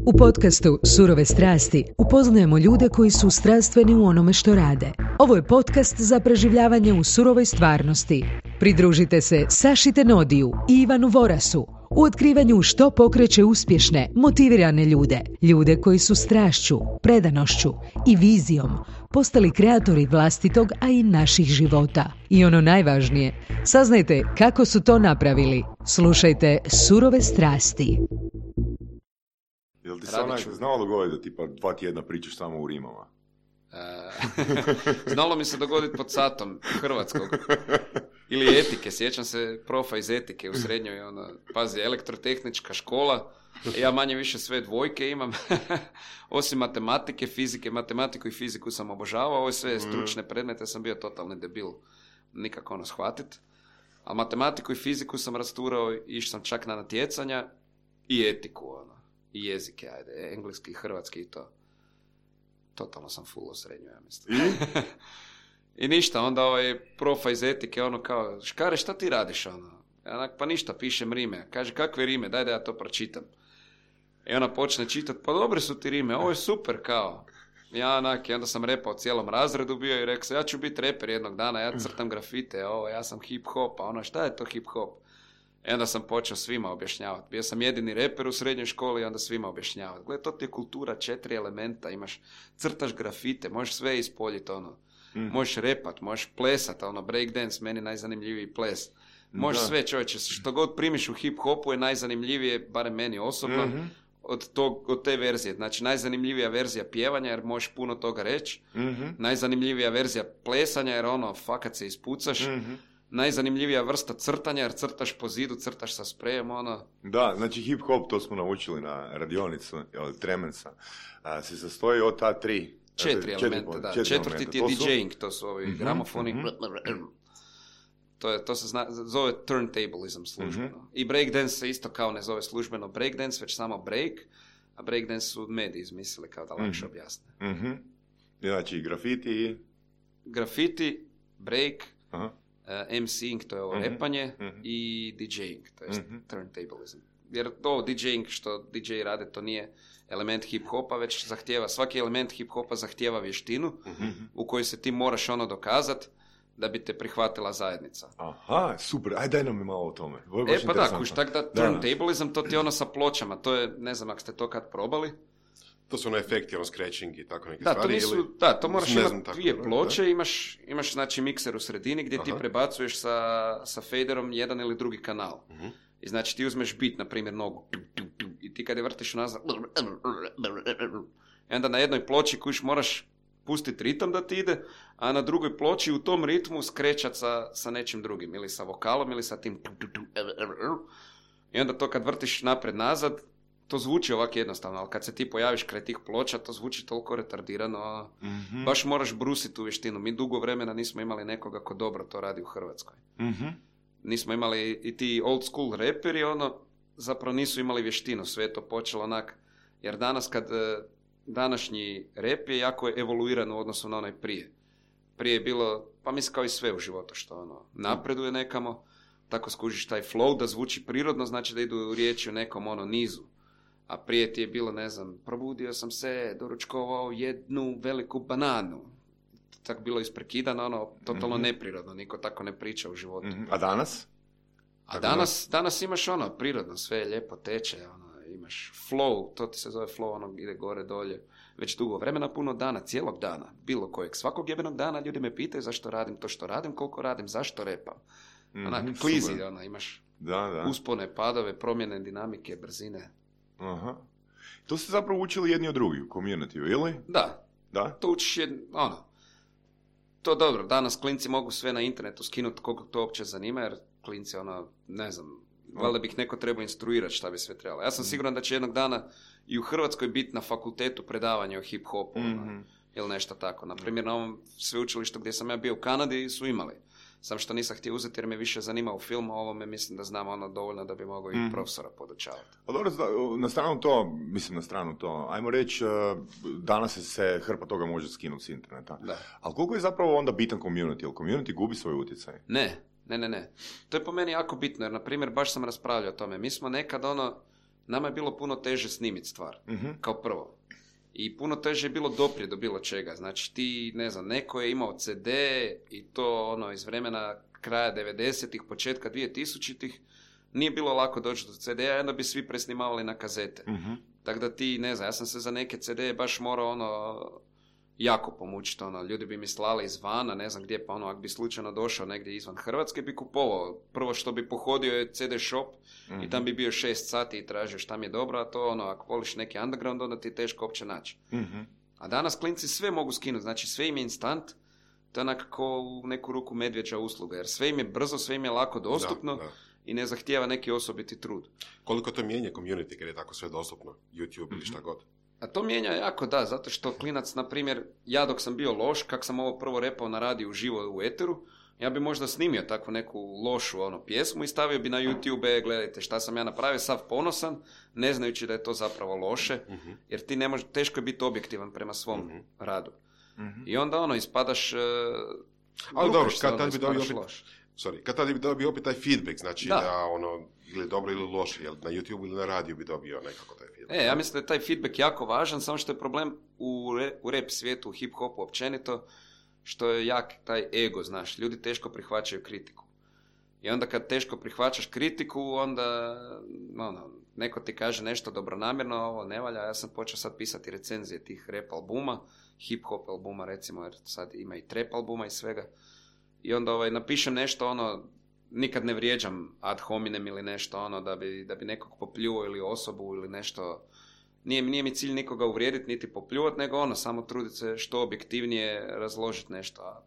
U podcastu Surove strasti upoznajemo ljude koji su strastveni u onome što rade. Ovo je podcast za preživljavanje u surovoj stvarnosti. Pridružite se Saši Tenodiju i Ivanu Vorasu u otkrivanju što pokreće uspješne, motivirane ljude. Ljude koji su strašću, predanošću i vizijom postali kreatori vlastitog, a i naših života. I ono najvažnije, saznajte kako su to napravili. Slušajte Surove strasti. Jel ti se onak znalo dogoditi da tipa dva tjedna pričaš samo u rimama? E, znalo mi se dogoditi pod satom hrvatskog. Ili etike, sjećam se profa iz etike u srednjoj, ono, pazi, elektrotehnička škola, ja manje više sve dvojke imam, osim matematike, fizike, matematiku i fiziku sam obožavao, ove sve stručne predmete sam bio totalni debil, nikako ono shvatit, a matematiku i fiziku sam rasturao, išao sam čak na natjecanja i etiku, ono. I jezike, ajde, engleski, hrvatski i to. Totalno sam full u srednju, ja mislim. I? I ništa, onda ovaj profa iz etike, ono kao, Škare, šta ti radiš, ono? Ja onak, pa ništa, pišem rime. Kaže, kakve rime, daj da ja to pročitam. I ona počne čitati, pa dobre su ti rime, ovo je super, kao. Ja onak, i onda sam repao cijelom razredu bio i rekao, ja ću biti reper jednog dana, ja crtam grafite, ovo, ja sam hip-hop, a ono, šta je to hip-hop? I onda sam počeo svima objašnjavati. Bio sam jedini reper u srednjoj školi i onda svima objašnjavati. Gle, to ti je kultura, četiri elementa, imaš, crtaš grafite, možeš sve ispoljiti, ono. Mm. Možeš repat, možeš plesat, ono, breakdance, meni najzanimljiviji ples. Možeš da. Sve, čovječe, što god primiš u hip-hopu je najzanimljivije, barem meni osobno, mm-hmm. od, tog, od te verzije. Znači, najzanimljivija verzija pjevanja, jer možeš puno toga reći. Mm-hmm. Najzanimljivija verzija plesanja, jer ono, fakat se ispucaš. Mm-hmm. Najzanimljivija vrsta crtanja, jer crtaš po zidu, crtaš sa sprejem, ono... Da, znači hip-hop, to smo naučili na radionicu, Tremensa, a, se sastoji od ta tri... Četiri elementa, da. Četvrti ti je DJing, to su ovi mm-hmm, gramofoni. Mm-hmm. To, je, to se zna, zove turntablism službeno. Mm-hmm. I breakdance se isto kao ne zove službeno breakdance, već samo break, a breakdance su mediji izmislili kao da lakše mm-hmm. objasne. Mm-hmm. Znači grafiti i... Grafiti, break, uh-huh. uh, MCing, to je ovo mm-hmm. repanje, mm-hmm. i DJing, to je mm-hmm. turntablism. Jer to DJing što D J rade, to nije element hip-hopa, već zahtijeva, svaki element hip-hopa zahtijeva vještinu mm-hmm. u kojoj se ti moraš ono dokazat da bi te prihvatila zajednica. Aha, super, aj daj nam malo o tome. E pa da, kuš, tak da turntablism, to ti je ono sa pločama, to je, ne znam ako ste to kad probali. To su ono efekti, ono scratching i tako neke da, stvari. To nisu, ili... Da, to moraš imati dvije tako, ploče, da? imaš, imaš znači mikser u sredini gdje Aha. ti prebacuješ sa, sa faderom jedan ili drugi kanal. Uh-huh. I znači ti uzmeš bit, na primjer nogu, i ti kad je vrtiš nazad, i onda na jednoj ploči kuš moraš pustiti ritam da ti ide, a na drugoj ploči u tom ritmu skrećat sa, sa nečim drugim, ili sa vokalom, ili sa tim... I onda to kad vrtiš napred-nazad, to zvuči ovako jednostavno, ali kad se ti pojaviš kraj tih ploča, to zvuči toliko retardirano, mm-hmm. baš moraš brusiti u vještinu. Mi dugo vremena nismo imali nekoga ko dobro to radi u Hrvatskoj. Mm-hmm. Nismo imali i ti old school reperi, ono, zapravo nisu imali vještinu, sve je to počelo onak, jer danas kad... Današnji rap je jako evoluiran u odnosu na onaj prije. Prije je bilo, pa mislim kao i sve u životu, što ono, napreduje nekamo, tako skužiš taj flow da zvuči prirodno, znači da idu riječi u nekom ono nizu. A prije ti je bilo, ne znam, probudio sam se, doručkovao jednu veliku bananu. Tako bilo isprekidano, ono, totalno mm-hmm. neprirodno, niko tako ne priča u životu. Mm-hmm. A danas? A danas, danas imaš ono, prirodno, sve je lijepo teče, ono, imaš flow, to ti se zove flow, ono ide gore, dolje, već dugo vremena, puno dana, cijelog dana, bilo kojeg, svakog jebenog dana ljudi me pitaju zašto radim to što radim, koliko radim, zašto repam. Mm-hmm, onak, klizi, ono, imaš da, da. uspone, padove, promjene, dinamike, brzine. Aha. To ste zapravo učili jedni od drugih u community, ili? Da. Da? To učiš jedno, ono, to dobro, danas klinci mogu sve na internetu skinuti koliko to uopće zanima, jer klinci, ono, ne znam, valjda bih neko trebao instruirati šta bi sve trebalo. Ja sam siguran da će jednog dana i u Hrvatskoj biti na fakultetu predavanja o hip-hopu mm-hmm. ili nešto tako. Naprimjer, na ovom sveučilištu gdje sam ja bio u Kanadi su imali. Sam što nisam htio uzeti jer me više zanimao film, a ovome mislim da znam ono dovoljno da bi mogao mm-hmm. i profesora podučavati. A dobro, na stranu to, mislim na stranu to, ajmo reći, danas se hrpa toga može skinuti s interneta. Da. Ali koliko je zapravo onda bitan community? Jer community gubi svoj utjecaj? Ne. Ne, ne, ne. To je po meni jako bitno, jer, na primjer, baš sam raspravljao o tome. Mi smo nekad, ono, nama je bilo puno teže snimiti stvar, mm-hmm. kao prvo. I puno teže je bilo doprijeti do bilo čega. Znači, ti, ne znam, neko je imao ce de i to, ono, iz vremena kraja devedesetih, početka dvije tisućitih, nije bilo lako doći do ce de-a, onda bi svi presnimavali na kazete. Mm-hmm. Tako da ti, ne znam, ja sam se za neke ce de baš morao, ono... jako pomučiti, ono, ljudi bi mi slali izvana, ne znam gdje, pa ono, ako bi slučajno došao negdje izvan Hrvatske, bi kupovao. Prvo što bi pohodio je ce de shop mm-hmm. i tam bi bio šest sati i tražio šta mi je dobro, a to, ono, ako voliš neki underground, onda ti je teško uopće naći. Mm-hmm. A danas klinci sve mogu skinuti, znači sve im je instant, to je onako u neku ruku medvjeđa usluga, jer sve im je brzo, sve im je lako dostupno da, da. I ne zahtijeva neki osobiti trud. Koliko to mijenja community kad je tako sve dostupno, YouTube mm-hmm. ili šta god? A to mijenja jako, da, zato što klinac, na primjer, ja dok sam bio loš, kak sam ovo prvo repao na radiju uživo u eteru, ja bi možda snimio takvu neku lošu ono, pjesmu i stavio bi na YouTube, gledajte šta sam ja napravio, sav ponosan, ne znajući da je to zapravo loše, uh-huh. jer ti ne može, teško je biti objektivan prema svom uh-huh. radu. Uh-huh. I onda ono, ispadaš... Uh, Ali dobro, kad tad bi dobio opet, loš. Sorry, kad tad bi dobio opet taj feedback, znači da, da ono, ili dobro ili loše, jel na YouTube ili na radiju bi dobio nekako taj feedback. E, ja mislim da je taj feedback jako važan, samo što je problem u, re, u rap svijetu, u hip-hopu općenito, što je jak taj ego, znaš, ljudi teško prihvaćaju kritiku. I onda kad teško prihvaćaš kritiku, onda, ono, neko ti kaže nešto dobronamjerno, ovo ne valja, ja sam počeo sad pisati recenzije tih rap albuma, hip-hop albuma recimo, jer sad ima i trap albuma i svega. I onda ovaj, napišem nešto, ono, nikad ne vrijeđam ad hominem ili nešto, ono, da bi, da bi nekog popljuo ili osobu ili nešto nije, nije mi cilj nikoga uvrijediti niti popljuvati, nego ono, samo truditi se što objektivnije razložiti nešto. A,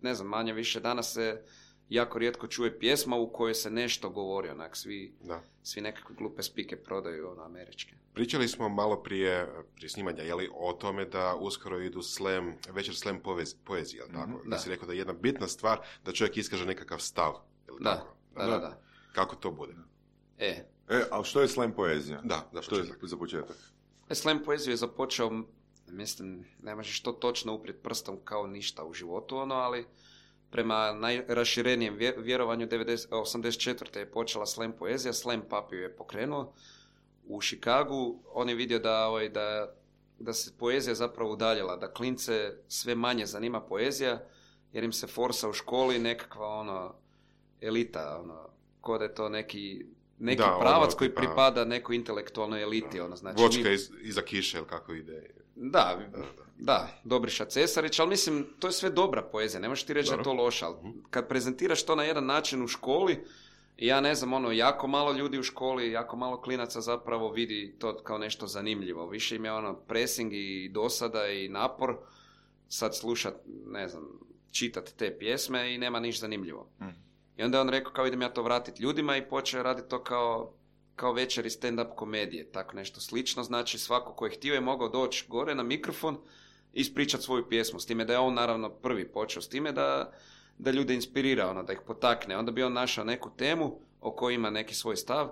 ne znam, manje više danas se jako rijetko čuje pjesma u kojoj se nešto govori, onak, svi, svi nekakve glupe spike prodaju, ono, američke. Pričali smo malo prije, prije snimanja, jeli, o tome da uskoro idu slam, večer slam povez, poezije, jel tako? Mm-hmm, da. Da si rekao da je jedna bitna stvar da čovjek iskaže nekakav stav, jel da, tako? Da, da, da. Kako to bude? E, e a što je slam poezija? Da, da, što je za početak? E, slam poeziju je započeo, mislim, ne možeš to točno uprijeti prstom kao ništa u životu, ono, ali prema najraširenijem vjerovanju osamdeset četvrte je počela slam poezija, slam pap ju je pokrenuo u Chicagu. On je vidio da, ovaj, da, da se poezija zapravo udaljila, da klince sve manje zanima poezija, jer im se forsa u školi nekakva ono, elita, ono, ko da je to neki, neki da, pravac ono, koji pripada nekoj intelektualnoj eliti. Ono, znači, vočka mi... iz, iza kiše, ili kako ide? Da, da, da. Da, Dobriša Cesarić, ali mislim, to je sve dobra poezija, ne možeš ti reći Dobro. Da je to loša, ali kad prezentiraš to na jedan način u školi, ja ne znam, ono, jako malo ljudi u školi, jako malo klinaca zapravo vidi to kao nešto zanimljivo, više im je ono pressing i dosada i napor, sad slušat, ne znam, čitati te pjesme i nema niš zanimljivo. Hmm. I onda je on rekao kao idem ja to vratiti ljudima i počeo raditi to kao... kao večeri stand-up komedije, tako nešto slično, znači svako ko je htio je mogao doći gore na mikrofon i ispričati svoju pjesmu, s time da je on naravno prvi počeo s time da, da ljude inspirira, ono, da ih potakne, onda bi on našao neku temu o kojoj ima neki svoj stav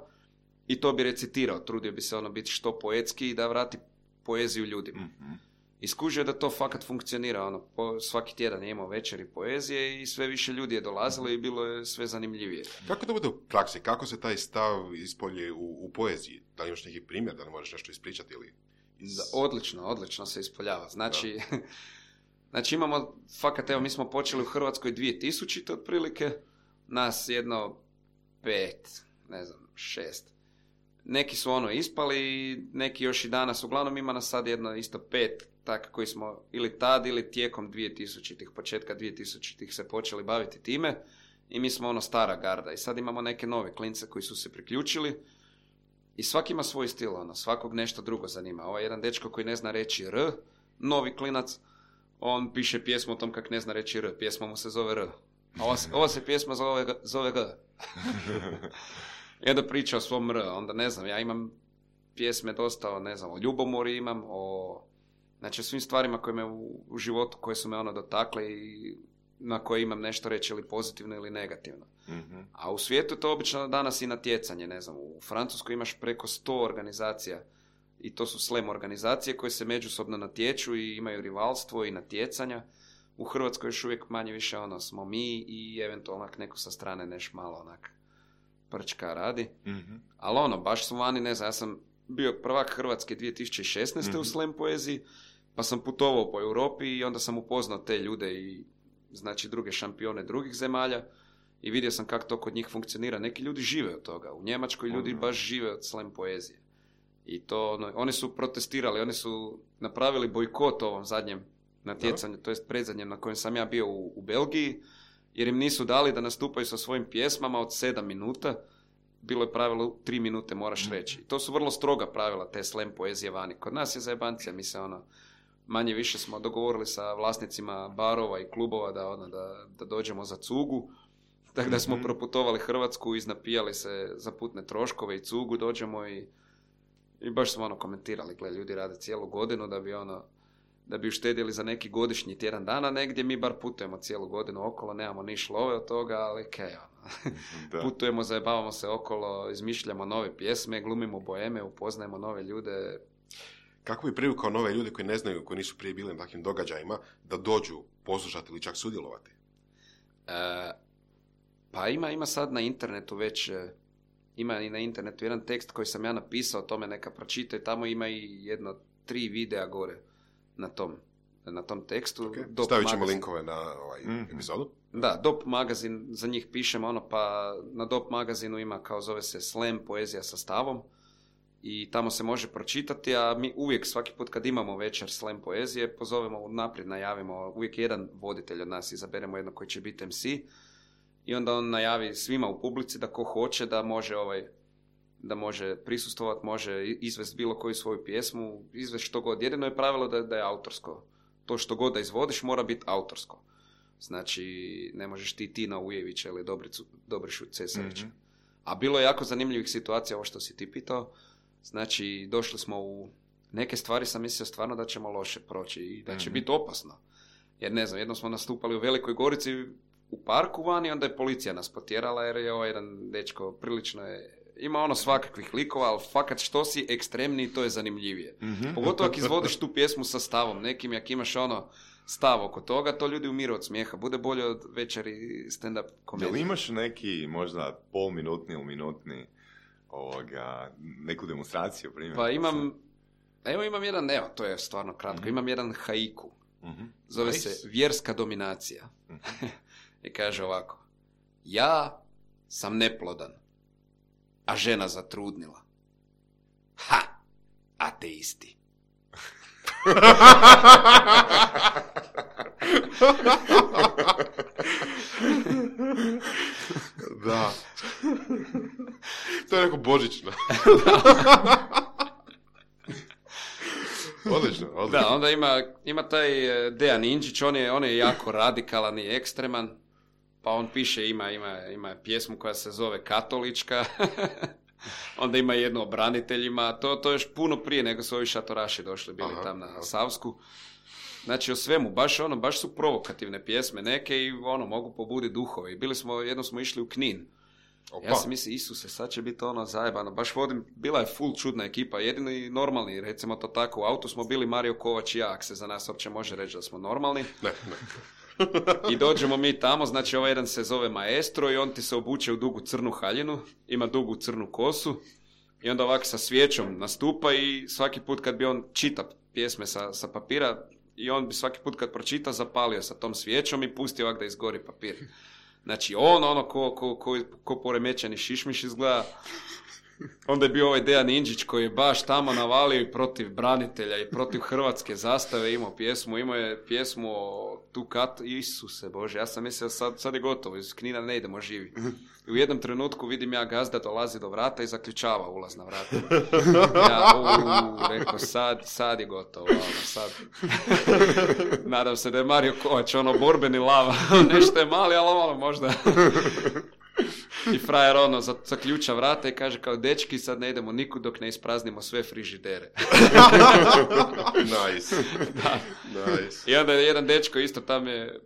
i to bi recitirao, trudio bi se ono biti što poetski i da vrati poeziju ljudima. Mm-hmm. I skužio da to fakat funkcionira, ono, po, svaki tjedan je imao večeri poezije i sve više ljudi je dolazilo i bilo je sve zanimljivije. Kako to bude u praksi? Kako se taj stav ispolje u, u poeziji? Da li imaš neki primjer, da li možeš nešto ispričati ili... Iz... Odlično, odlično se ispoljava. Znači, znači imamo, fakat, evo, mi smo počeli u Hrvatskoj dvije tisućite otprilike, nas jedno pet, ne znam, šest. Neki su ono ispali, neki još i danas, uglavnom ima nas sad jedno isto pet, tak koji smo ili tad ili tijekom dvije tisućitih, početka dvije tisućitih se počeli baviti time i mi smo ono stara garda i sad imamo neke nove klince koji su se priključili i svaki ima svoj stil, ono, svakog nešto drugo zanima. Ovaj jedan dečko koji ne zna reći R, novi klinac, on piše pjesmu o tom kak ne zna reći R, pjesma mu se zove R, a ova se, ova se pjesma zove, zove G. I onda priča o svom R, onda ne znam, ja imam pjesme dosta, ne znam, o ljubomori imam, o, znači o svim stvarima koje me u, u životu, koje su me ono dotakle i na koje imam nešto reći ili pozitivno ili negativno. Mm-hmm. A u svijetu je to obično danas i natjecanje, ne znam, u Francuskoj imaš preko sto organizacija i to su slam organizacije koje se međusobno natječu i imaju rivalstvo i natjecanja. U Hrvatskoj još uvijek manje više ono smo mi i eventualno neko sa strane neš malo onak prčka radi. Mm-hmm. Ali ono, baš smo vani, ne znam, ja sam bio prvak Hrvatske dvije tisuće šesnaeste mm-hmm. u slam poeziji, pa sam putovao po Europi i onda sam upoznao te ljude i znači druge šampione drugih zemalja i vidio sam kako to kod njih funkcionira. Neki ljudi žive od toga. U Njemačkoj ljudi mm-hmm. baš žive od slam poezije. I to, ono, oni su protestirali, oni su napravili bojkot ovom zadnjem natjecanju, to jest predzadnjem na kojem sam ja bio u, u Belgiji, jer im nisu dali da nastupaju sa svojim pjesmama od sedam minuta. Bilo je pravilo tri minute moraš reći. I to su vrlo stroga pravila te slam poezije vani. Kod nas je zajebancija, mi se ono, manje više smo dogovorili sa vlasnicima barova i klubova da, ono, da, da dođemo za cugu. Tako da smo mm-hmm. proputovali Hrvatsku, iznapijali se za putne troškove i cugu, dođemo i, i baš smo ono komentirali, gle, ljudi rade cijelu godinu da bi ono, da bi uštedjeli za neki godišnji tjedan dana negdje, mi bar putujemo cijelu godinu okolo, nemamo niš love od toga, ali kaj, ono. Putujemo, zajebavamo se okolo, izmišljamo nove pjesme, glumimo boheme, upoznajemo nove ljude. Kako bi privukao nove ljude koji ne znaju, koji nisu prije bili na takvim događajima, da dođu poslušati ili čak sudjelovati? E, pa ima, ima sad na internetu već, ima i na internetu jedan tekst koji sam ja napisao, o tome neka pročitaju, tamo ima i jedno tri videa gore na tom, na tom tekstu. Okay. Stavit ćemo linkove na ovaj mm-hmm. epizodu. Da, Dop magazin, za njih pišemo ono, pa na Dop magazinu ima, kao zove se Slam poezija sa stavom i tamo se može pročitati, a mi uvijek svaki put kad imamo večer slam poezije, pozovemo naprijed, najavimo, uvijek jedan voditelj od nas, izaberemo jedno koji će biti em ce i onda on najavi svima u publici da ko hoće da može ovaj da može prisustvovati, može izvesti bilo koju svoju pjesmu, izvesti što god. Jedino je pravilo da, da je autorsko. To što god da izvodiš mora biti autorsko. Znači, ne možeš ti Tina Ujevića ili Dobricu, Dobrišu Cesarića. Mm-hmm. A bilo je jako zanimljivih situacija, ovo što si ti pitao. Znači, došli smo u neke stvari, sam mislio stvarno da ćemo loše proći i da će mm-hmm. biti opasno. Jer ne znam, jednom smo nastupali u Velikoj Gorici u parku vani, onda je policija nas potjerala jer je ovaj jedan dečko prilično je... Ima ono svakakvih likova, ali fakat što si ekstremniji, to je zanimljivije. Mm-hmm. Pogotovo ako izvodiš tu pjesmu sa stavom nekim, jak imaš ono stav oko toga, to ljudi umiru od smijeha. Bude bolje od večeri stand-up komedije. Jel imaš neki možda polminutni ili minutni ovoga, neku demonstraciju? Primjer? Pa imam, evo imam jedan, evo to je stvarno kratko, mm-hmm. imam jedan haiku. Mm-hmm. Zove nice. se Vjerska dominacija. Mm-hmm. I kaže ovako: ja sam neplodan, a žena zatrudnila. Ha! Ateisti. Da. To je neko božično. Odlično, odlično. Da, onda ima, ima taj Dejan Inđić, on je, on je jako radikalan i ekstreman, pa on piše, ima, ima, ima pjesmu koja se zove Katolička, onda ima jedno o braniteljima, to, to još puno prije nego su ovi šatoraši došli, bili aha, tam na aha. Savsku. Znači o svemu, baš ono, baš su provokativne pjesme neke i ono, mogu pobuditi duhove. I bili smo, jednom smo išli u Knin. Opa. Ja sam mislio, Isuse, sad će biti ono zajebano. Baš vodim, bila je full čudna ekipa, jedini normalni, recimo to tako. U autu smo bili Mario Kovač i ja, ako se za nas uopće može reći da smo normalni. Ne, ne. I dođemo mi tamo, znači ovaj jedan se zove Maestro i on ti se obuče u dugu crnu haljinu, ima dugu crnu kosu i onda ovako sa svijećom nastupa i svaki put kad bi on čita pjesme sa, sa papira i on bi svaki put kad pročita zapalio sa tom svijećom i pustio ovako da izgori papir. Znači on ono ko, ko, ko, ko poremećeni šišmiš izgleda. Onda je bio ovaj Dejan Inđić koji je baš tamo navalio i protiv branitelja i protiv hrvatske zastave, imao pjesmu, imao je pjesmu o tu kat, Isuse Bože, ja sam mislio sad, sad je gotovo, iz Knina ne idemo živi. I u jednom trenutku vidim ja gazda dolazi do vrata i zaključava ulaz na vrata. Ja u, rekao sad, sad je gotovo, ono, sad. Nadam se da je Mario Kovač, ono borbeni lava, nešto je mali, ali ono možda... I frajer ono zaključa vrata i kaže kao dečki sad ne idemo nikud dok ne ispraznimo sve frižidere. Nice. Da. Nice. I onda je jedan dečko isto tam je,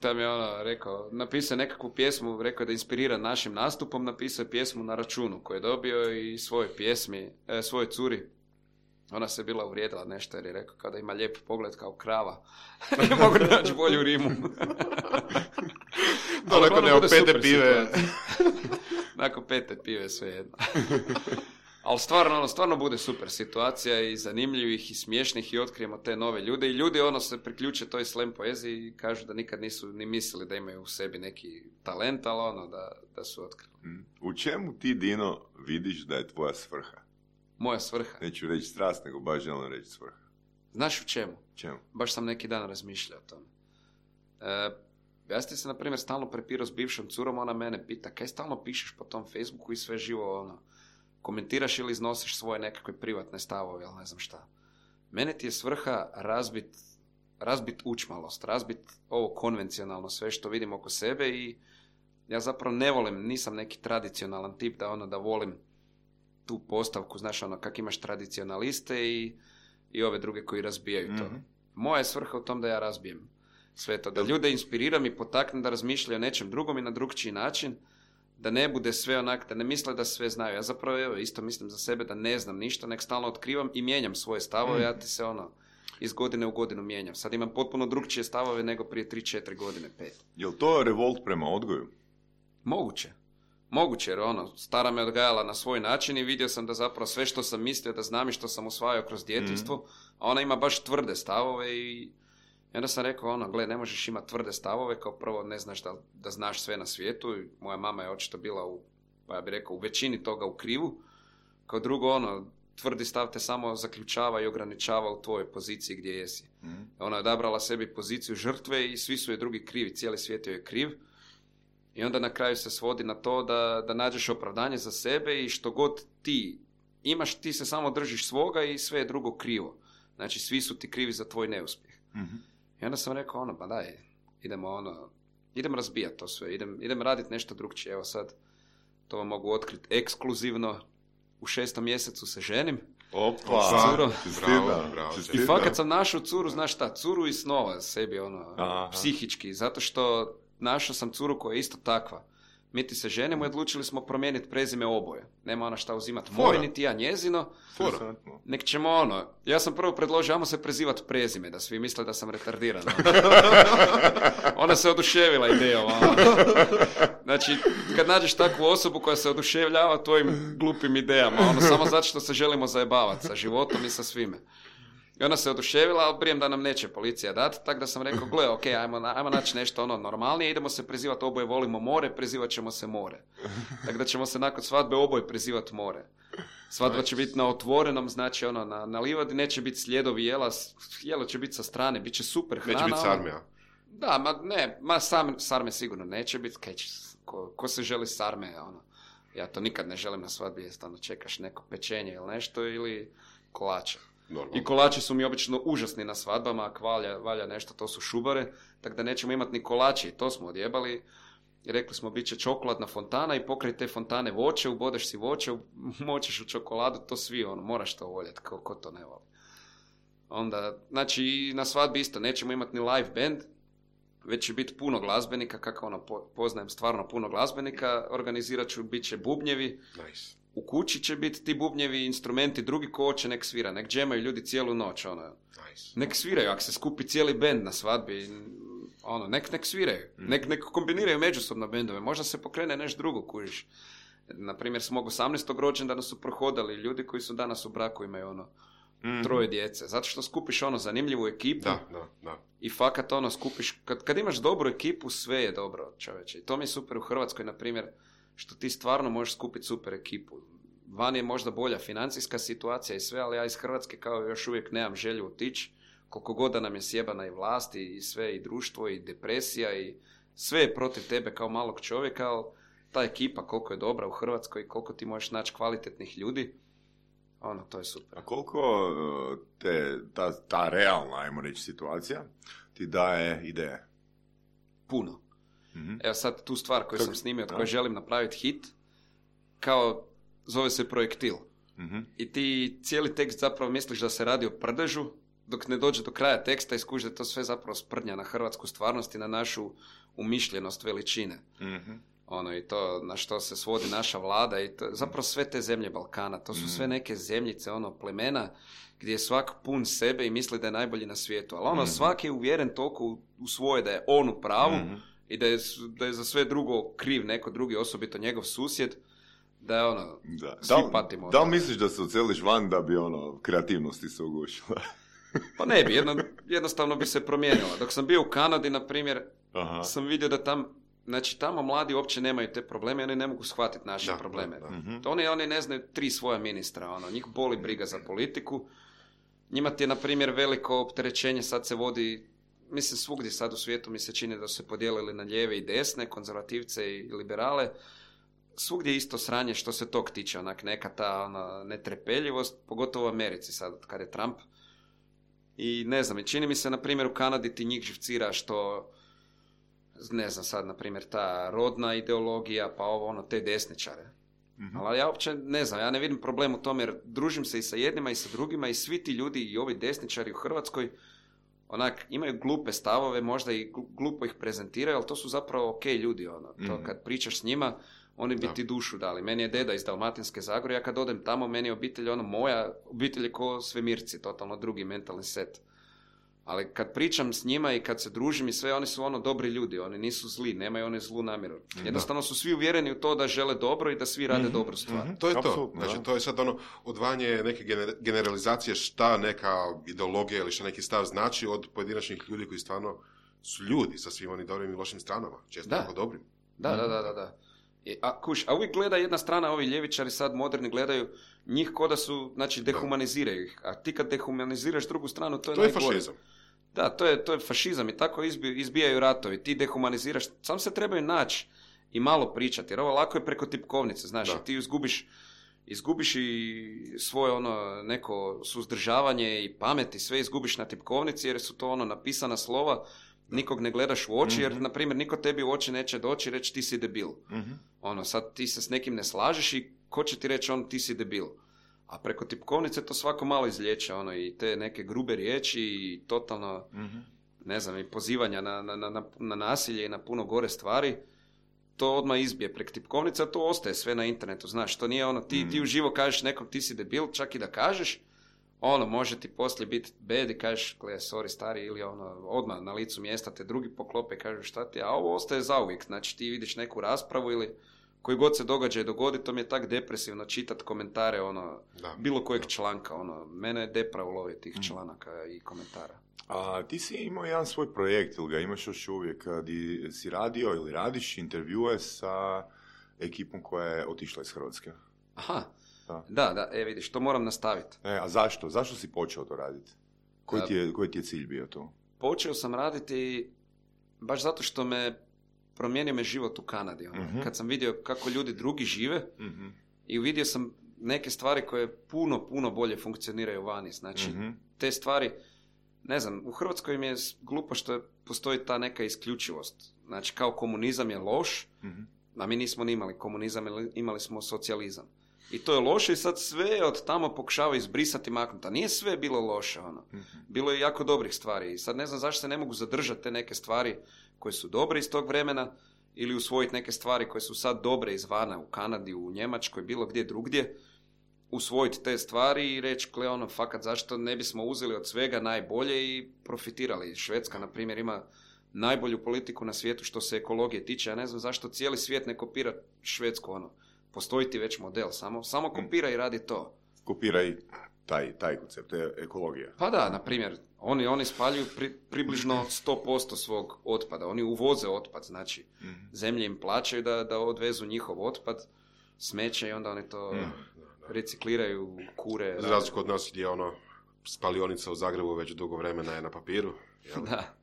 tam je ono rekao, napisao nekakvu pjesmu, rekao da je inspiriran našim nastupom, napisao je pjesmu na računu koju je dobio i svoje pjesmi, e, svoje curi. Ona se bila uvrijedila nešto jer je rekao kao da ima lijep pogled kao krava. Ne mogu naći bolju rimu. To nakon ne pete pive. Nakon pete pive sve jedno. Ali stvarno, ono, stvarno bude super situacija i zanimljivih i smiješnih i otkrijemo te nove ljude. I ljudi ono se priključe toj slam poeziji i kažu da nikad nisu ni mislili da imaju u sebi neki talent, ali ono da, da su otkrili. U čemu ti, Dino, vidiš da je tvoja svrha? Moja svrha? Neću reći strast, nego baš želim reći svrha. Znaš u čemu? Čemu? Baš sam neki dan razmišljao o tome. E, ja sam se, na primjer, stalno prepirao s bivšom curom, ona mene pita, kaj stalno pišeš po tom Facebooku i sve živo, ono, komentiraš ili iznosiš svoje nekakve privatne stavove, ali ne znam šta. Mene ti je svrha razbit, razbit učmalost, razbit ovo konvencionalno sve što vidim oko sebe i ja zapravo ne volim, nisam neki tradicionalan tip da ono, da volim tu postavku, znaš, ono, kak imaš tradicionaliste i, i ove druge koji razbijaju to. Mm-hmm. Moja je svrha u tom da ja razbijem sve to, da ljude inspiriram i potaknem da razmišljaju o nečem drugom i na drugčiji način, da ne bude sve onak, da ne misle da sve znaju. Ja zapravo evo, isto mislim za sebe da ne znam ništa, nek stalno otkrivam i mijenjam svoje stavove, mm. ja ti se ono, iz godine u godinu mijenjam. Sad imam potpuno drugčije stavove nego prije tri četiri godine, pet. Je li to revolt prema odgoju? Moguće. Moguće, jer ono, stara me odgajala na svoj način i vidio sam da zapravo sve što sam mislio da znam i što sam usvajao kroz djetinjstvo, mm. a ona ima baš tvrde stavove i, i onda sam rekao, ono, gle, ne možeš imati tvrde stavove, kao prvo ne znaš da, da znaš sve na svijetu, i moja mama je očito bila u, pa ja bih rekao, u većini toga u krivu, kao drugo, ono, tvrdi stav te samo zaključava i ograničava u tvojoj poziciji gdje jesi. Mm. Ona je odabrala sebi poziciju žrtve i svi su je drugi krivi, cijeli svijet joj je kriv. I onda na kraju se svodi na to da, da nađeš opravdanje za sebe i što god ti imaš, ti se samo držiš svoga i sve je drugo krivo. Znači, svi su ti krivi za tvoj neuspjeh. Mm-hmm. I onda sam rekao, ono, pa daj, idemo, ono, idem razbijati to sve, idem, idem raditi nešto drugčije. Evo sad, to vam mogu otkriti ekskluzivno, u šestom mjesecu se ženim. Opa, curo. Bravo, bravo. I fakat sam našao curu, znaš šta, curu iz snova sebi, ono, Aha. psihički, zato što našao sam curu koja je isto takva. Mi ti se ženimo i odlučili smo promijeniti prezime oboje. Nema ona šta uzimati moje, niti ja njezino. Fora. Nek ćemo ono, ja sam prvo predložio, ajmo se prezivati prezime, da svi misle da sam retardiran. Ona se oduševila idejom. Znači, kad nađeš takvu osobu koja se oduševljava tvojim glupim idejama, ono, samo zato što se želimo zajebavati sa životom i sa svime. I ona se oduševila, ali brijem da nam neće policija dati, tako da sam rekao, gle, ok, ajmo, ajmo naći nešto ono normalnije, idemo se prezivati oboje volimo more, prezivat ćemo se more. Tako da ćemo se nakon svadbe oboje prezivati more. Svadba će biti na otvorenom, znači ono, na, na livadi, neće biti sljedovi jela, jelo će biti sa strane, bit će super hrana. Neće biti sarme, a? Da, ma ne, ma sam, sarme sigurno neće biti, kaj će, ko, ko se želi sarme, ono. Ja to nikad ne želim na svadbi, jest ono, čekaš neko pečenje ili nešto, ili kolače. Normalno. I kolači su mi obično užasni na svadbama, ako valja, valja nešto, to su šubare, tako da nećemo imati ni kolači, to smo odjebali. I rekli smo, bit će čokoladna fontana i pokraj te fontane voće, ubodeš si voće, moćeš u čokoladu, to svi, ono, moraš to voljeti, ko, ko to ne voli. Onda, znači, i na svadbi isto, nećemo imati ni live band, već će biti puno glazbenika, kako ono, poznajem stvarno puno glazbenika, organizirat ću, bit će bubnjevi. Nice. U kući će biti ti bubnjevi, instrumenti, drugi ko hoće nek svira, nek džemaju ljudi cijelu noć, ono. Nice. Nek sviraju, ako se skupi cijeli bend na svadbi, ono, nek, nek sviraju, mm. nek, nek kombiniraju međusobno bendove, možda se pokrene nešto drugo, kužiš. Naprimjer, s mog osamnaestog rođendana su prohodali ljudi koji su danas u braku, imaju ono, mm. troje djece, zato što skupiš ono zanimljivu ekipu da, da, da. I fakat ono skupiš, kad, kad imaš dobru ekipu, sve je dobro, čoveče. I to mi je super u Hrvatskoj, na primjer, što ti stvarno možeš skupiti super ekipu. Van je možda bolja financijska situacija i sve, ali ja iz Hrvatske kao još uvijek nemam želju otići, koliko god da nam je sjebana i vlast i sve, i društvo, i depresija, i sve je protiv tebe kao malog čovjeka, ali ta ekipa koliko je dobra u Hrvatskoj, koliko ti možeš naći kvalitetnih ljudi, ono, to je super. A koliko te, ta, ta realna, ajmo reći, situacija ti daje ideje? Puno. Mm-hmm. Evo sad tu stvar koju Kak... sam snimio, od koje želim napraviti hit, kao zove se Projektil. Mm-hmm. I ti cijeli tekst zapravo misliš da se radi o prdežu, dok ne dođe do kraja teksta i skužiš da to sve zapravo sprdnja na hrvatsku stvarnost i na našu umišljenost veličine. Mm-hmm. Ono, i to na što se svodi naša vlada i to, zapravo sve te zemlje Balkana, to su mm-hmm. sve neke zemljice, ono, plemena gdje je svak pun sebe i misli da je najbolji na svijetu. Ali ono, mm-hmm. svak je uvjeren toliko u, u svoje da je on u pravu mm-hmm. i da je, da je za sve drugo kriv neko drugi, osobito njegov susjed, da je ono, da. svi da, patimo. Da li misliš da se oceliš van da bi ono, kreativnosti se ugušila? Pa ne bi, jedno, jednostavno bi se promijenila. Dok sam bio u Kanadi, na primjer, Aha. sam vidio da tam, znači tamo mladi uopće nemaju te probleme, oni ne mogu shvatiti naše da, probleme. Da, da. Mm-hmm. Oni, oni ne znaju tri svoja ministra, ono, njih boli briga za politiku. Njima ti je, na primjer, veliko opterećenje, sad se vodi, mislim, svugdje sad u svijetu mi se čini da su se podijelili na lijeve i desne, konzervativce i liberale. Svugdje je isto sranje što se tog tiče, onak neka ta ona, netrepeljivost, pogotovo u Americi sad, kad je Trump. I ne znam, čini mi se, na primjer, u Kanadi ti njih živcira što, ne znam sad, na primjer, ta rodna ideologija, pa ovo, ono, te desničare. Mm-hmm. Ali ja uopće ne znam, ja ne vidim problem u tome, jer družim se i sa jednima i sa drugima i svi ti ljudi i ovi desničari u Hrvatskoj, onak, imaju glupe stavove, možda i glupo ih prezentiraju, ali to su zapravo ok ljudi, ono, to mm-hmm. kad pričaš s njima, oni bi ti dušu dali. Meni je deda iz Dalmatinske Zagore, ja kad odem tamo, meni je obitelj, ono, moja obitelj je ko svemirci, totalno drugi mentalni set. Ali kad pričam s njima i kad se družim i sve, oni su ono dobri ljudi, oni nisu zli, nemaju one zlu namjeru. Jednostavno su svi uvjereni u to da žele dobro i da svi rade mm-hmm. dobru stvar. Mm-hmm. To je to. Znači, to je sad ono odvajanje neke generalizacije šta neka ideologija ili šta neki stav znači od pojedinačnih ljudi koji stvarno su ljudi sa svim onim dobrim i lošim stranama, često tako dobrim. Da, mm-hmm. da, da, da, da. A, kuš, a uvijek gleda jedna strana, ovi ljevičari sad moderni gledaju njih ko da su, znači dehumaniziraju ih, a ti kad dehumaniziraš drugu stranu, to je, to je najgore. Fašizam. Da, to je, to je fašizam i tako izbi, izbijaju ratovi, ti dehumaniziraš, sam se trebaju naći i malo pričati, jer ovo lako je preko tipkovnice, znaš, Da. ti izgubiš, izgubiš i svoje ono neko suzdržavanje i pamet i sve izgubiš na tipkovnici, jer su to ono napisana slova, nikog ne gledaš u oči, jer, Mhm. na primjer, niko tebi u oči neće doći i reći ti si debil. Mhm. Ono, sad ti se s nekim ne slažeš i ko će ti reći on ti si debil. A preko tipkovnice to svako malo izliječe, ono, i te neke grube riječi i totalno, Mhm. ne znam, i pozivanja na, na, na, na nasilje i na puno gore stvari, to odmah izbije preko tipkovnice, a to ostaje sve na internetu, znaš, to nije ono, ti, Mm. ti uživo kažeš nekom ti si debil, čak i da kažeš, ono, može ti poslije biti bed i kažeš, gle, sorry stari, ili ono, odmah na licu mjesta te drugi poklope i kažeš šta ti, a ovo ostaje zauvijek, znači ti vidiš neku raspravu ili koji god se događaj dogodi, to mi je tak depresivno čitati komentare, ono, Da. bilo kojeg Da. članka, ono, mene je depra ulovi tih Mm. članaka i komentara. A ti si imao jedan svoj projekt, ili ga imaš još uvijek, di si radio ili radiš intervjue sa ekipom koja je otišla iz Hrvatske. Aha, Da. da, da, e vidiš, to moram nastaviti. E, a zašto? Zašto si počeo to raditi? Koji A- ti je, koji ti je cilj bio to? Počeo sam raditi baš zato što me promijenio me život u Kanadi. Ono. Mhm. Kad sam vidio kako ljudi drugi žive Mhm. i vidio sam neke stvari koje puno, puno bolje funkcioniraju vani. Znači, Mhm. te stvari, ne znam, u Hrvatskoj mi je s- glupo što postoji ta neka isključivost. Znači, kao komunizam je loš, Mhm. a mi nismo ni imali komunizam, imali smo socijalizam. I to je loše i sad sve od tamo pokušava izbrisati, maknuti. A nije sve bilo loše, ono. Mhm. Bilo je jako dobrih stvari. I sad ne znam zašto se ne mogu zadržati te neke stvari koje su dobre iz tog vremena ili usvojiti neke stvari koje su sad dobre izvana u Kanadi, u Njemačkoj, bilo gdje drugdje. Usvojiti te stvari i reći, gle, ono, fakat, zašto ne bismo uzeli od svega najbolje i profitirali. Švedska, na primjer, ima najbolju politiku na svijetu što se ekologije tiče. Ja ne znam zašto cijeli svijet ne kopira Švedsku, ono. Postoji ti već model, samo, samo kopira i radi to. Kopiraj taj, taj koncept, to je ekologija. Pa da, na primjer, oni, oni spaljuju pri, približno sto posto svog otpada. Oni uvoze otpad, znači Mhm. zemlje im plaćaju da, da odvezu njihov otpad, smeće i onda oni to Mhm. recikliraju, kure. Za razliku od nas gdje ono spalionica u Zagrebu već dugo vremena je na papiru. Jel? Da.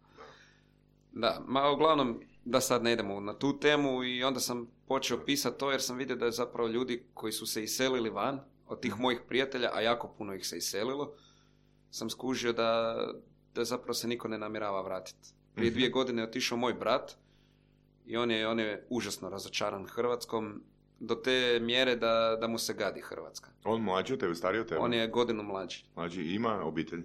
Da, ma uglavnom, da sad ne idemo na tu temu i onda sam počeo pisati to jer sam vidio da je zapravo ljudi koji su se iselili van od tih mojih prijatelja, a jako puno ih se iselilo, sam skužio da, da zapravo se niko ne namjerava vratiti. Prije Mhm. dvije godine je otišao moj brat i on je, on je užasno razočaran Hrvatskom do te mjere da, da mu se gadi Hrvatska. On mlađi od tebe, stariji od tebe? On je godinu mlađi. Mlađi, ima obitelj?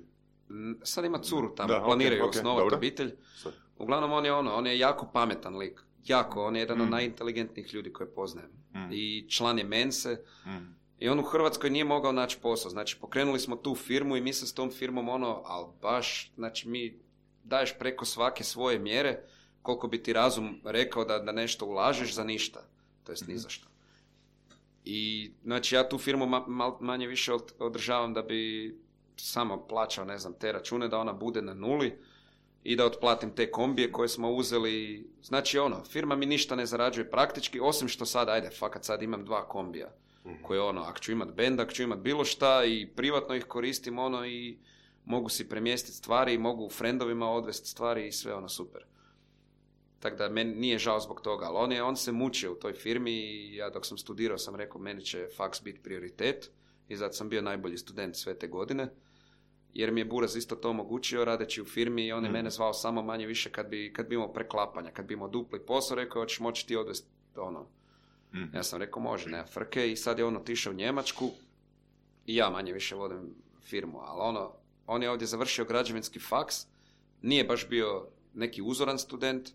N- Sad ima curu tamo, Da, ok, planiraju ok, osnovati dobro. obitelj. Sad. Uglavnom on je ono, on je jako pametan lik. Jako, on je jedan od Mm. najinteligentnijih ljudi koje poznajem. Mm. I član je Mense. Mhm. I on u Hrvatskoj nije mogao naći posao. Znači, pokrenuli smo tu firmu i mi se s tom firmom ono, ali baš, znači mi daješ preko svake svoje mjere koliko bi ti razum rekao da, da nešto ulažeš za ništa. To jest ni za što. I, znači, ja tu firmu ma, mal- manje više od- održavam da bi samo plaćao, ne znam, te račune, da ona bude na nuli i da otplatim te kombije koje smo uzeli. Znači, ono, firma mi ništa ne zarađuje praktički, osim što sad, ajde, fakat sad imam dva kombija koje ono, ako ću imat bend, ako ću imat bilo šta i privatno ih koristim ono i mogu si premjestiti stvari i mogu frendovima odvesti stvari i sve ono super. Tako da meni nije žao zbog toga, ali on, je, on se mučio u toj firmi i ja dok sam studirao sam rekao meni će faks biti prioritet i zato sam bio najbolji student sve te godine jer mi je Buraz isto to omogućio radeći u firmi i on je Mhm. mene zvao samo manje više kad bi, kad bi imao preklapanja, kad bi imao dupli posao, rekao hoćeš moći ti odvesti ono. Mhm. Ja sam rekao može, nema frke i sad je on otišao u Njemačku i ja manje više vodim firmu, ali ono, on je ovdje završio građevinski faks, nije baš bio neki uzoran student,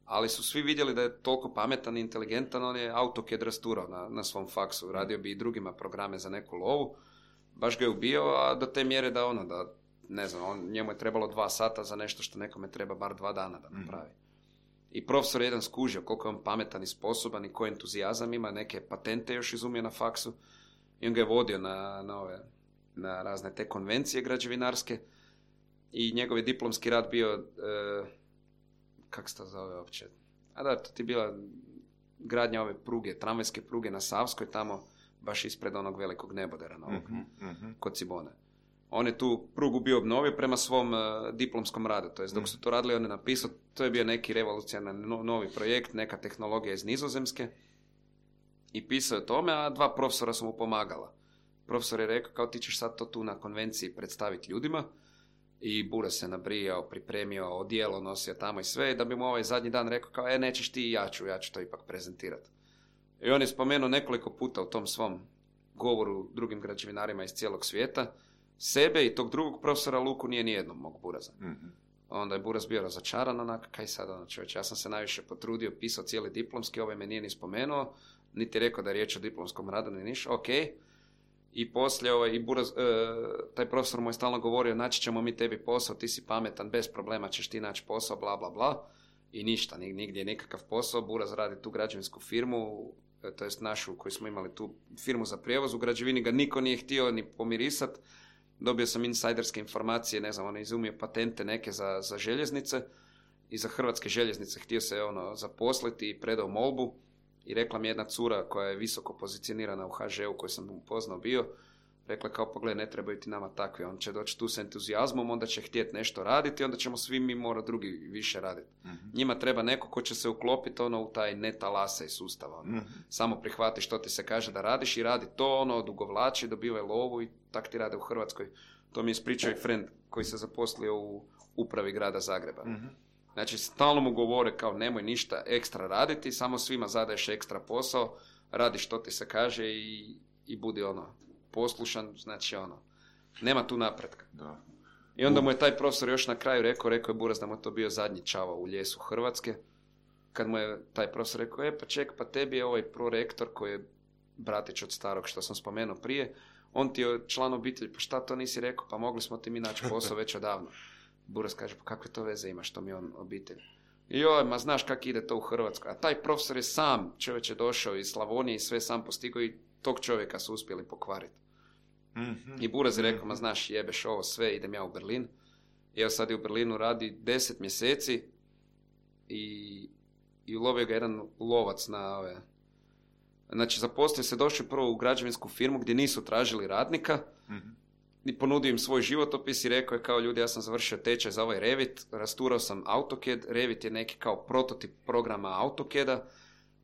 ali su svi vidjeli da je toliko pametan i inteligentan, on je AutoCAD rasturao na, na svom faksu, radio bi i drugima programe za neku lovu, baš ga je ubio, a do te mjere da ono, da ne znam, on, njemu je trebalo dva sata za nešto što nekome treba bar dva dana da napravi. I profesor je jedan skužio koliko je on pametan i sposoban i koji entuzijazam ima, neke patente još izumio na faksu i on ga je vodio na, na, ove, na razne te konvencije građevinarske i njegov je diplomski rad bio, e, kak se to zove uopće, a da, to ti je bila gradnja ove pruge, tramvajske pruge na Savskoj, tamo baš ispred onog velikog nebodera novog, Mhm, mhm. kod Cibone. On je tu prugu bio obnovio prema svom uh, diplomskom radu. To jest, dok su to radili, on je napisao, to je bio neki revolucionarni no, novi projekt, neka tehnologija iz Nizozemske. I pisao o tome, a dva profesora su mu pomagala. Profesor je rekao, kao ti ćeš sad to tu na konvenciji predstaviti ljudima. I Bura se nabrijao, pripremio, odijelo nosio tamo i sve. I da bi mu ovaj zadnji dan rekao, kao, e, nećeš ti i ja ću, ja ću to ipak prezentirati. I on je spomenuo nekoliko puta u tom svom govoru drugim građevinarima iz cijelog svijeta, sebe i tog drugog profesora Luku nije nijednom mog Buraza. Mm-hmm. Onda je Buraz bio razočaran, onak, kaj sad, ono, čovječ, ja sam se najviše potrudio, pisao cijeli diplomski, ovaj me nije ni spomenuo, niti rekao da je riječ o diplomskom radu, ni niš, ok. I poslije, ovaj, i Buraz, e, taj profesor mu je stalno govorio, naći ćemo mi tebi posao, ti si pametan, bez problema ćeš ti naći posao, bla, bla, bla. I ništa, nigdje nikakav posao, Buraz radi tu građevinsku firmu, to jest našu koju smo imali tu firmu za prijevoz, u građevini ga niko nije htio ni pomirisat. Dobio sam insajderske informacije, ne znam, on je izumio patente neke za, za željeznice i za hrvatske željeznice htio se ono zaposliti i predao molbu i rekla mi jedna cura koja je visoko pozicionirana u ha že u koju sam upoznao bio, rekla kao, pogledaj, ne trebaju ti nama takvi, on će doći tu s entuzijazmom, onda će htjeti nešto raditi, onda ćemo svi mi morati drugi više raditi. Mm-hmm. Njima treba neko ko će se uklopiti ono u taj netalase sustav. Ono. Mm-hmm. Samo prihvati što ti se kaže da radiš i radi to, ono, odugovlači, dobivaj lovu i tak ti rade u Hrvatskoj. To mi je ispričao i friend koji se zaposlio u upravi grada Zagreba. Mm-hmm. Znači, stalno mu govore kao nemoj ništa ekstra raditi, samo svima zadaješ ekstra posao, radi što ti se kaže i, i budi ono, poslušan, znači ono, nema tu napretka. Da. I onda mu je taj profesor još na kraju rekao, rekao je Buraz da mu je to bio zadnji čavao u ljesu Hrvatske, kad mu je taj profesor rekao, e pa ček, pa tebi je ovaj prorektor koji je bratić od starog što sam spomenuo prije, on ti je član obitelji, pa šta to nisi rekao, pa mogli smo ti mi naći posao već odavno. Buraz kaže, pa kakve to veze ima što mi on obitelj? I joj, ma znaš kak ide to u Hrvatskoj. A taj profesor je sam, čovjek je došao iz Slavonije i sve sam postigao i tog čovjeka su uspjeli pokvariti. Mm-hmm. I Buraz je rekao, ma znaš, jebeš ovo sve, idem ja u Berlin. I evo sad je u Berlinu radi deset mjeseci i, i ulovio ga jedan lovac na ove... Znači, zaposlio se, došao prvo u građevinsku firmu gdje nisu tražili radnika, mm-hmm. i ponudio im svoj životopis i rekao je kao, ljudi, ja sam završio tečaj za ovaj Revit, rasturao sam AutoCAD, Revit je neki kao prototip programa AutoCAD-a,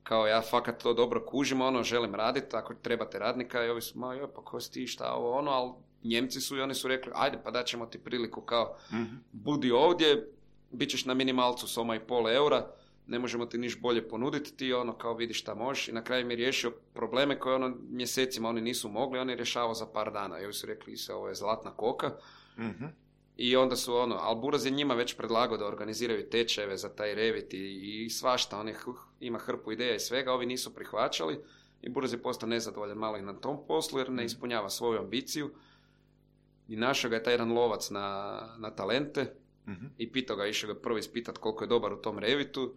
kao ja fakat to dobro kužim, ono, želim raditi, ako trebate radnika, i ovi su, ma joj, pa ko si ti, šta ovo, ono, ali Njemci su i oni su rekli, ajde, pa daćemo ti priliku, kao, mm-hmm. budi ovdje, bit ćeš na minimalcu soma i pol eura, ne možemo ti niš bolje ponuditi, ti ono kao vidiš šta možeš, i na kraju mi je riješio probleme koje ono mjesecima oni nisu mogli, on je rješavao za par dana, i ovi su rekli se, ovo je zlatna koka, mm-hmm. i onda su ono, ali Buraz je njima već predlagao da organiziraju tečajeve za taj Revit i, i svašta, on je, ima hrpu ideja i svega, ovi nisu prihvaćali i Buraz je postao nezadovoljan malo i na tom poslu jer ne ispunjava svoju ambiciju i našao ga je taj jedan lovac na, na talente, mm-hmm. i pitao ga, išao ga prvo ispitat koliko je dobar u tom Revitu,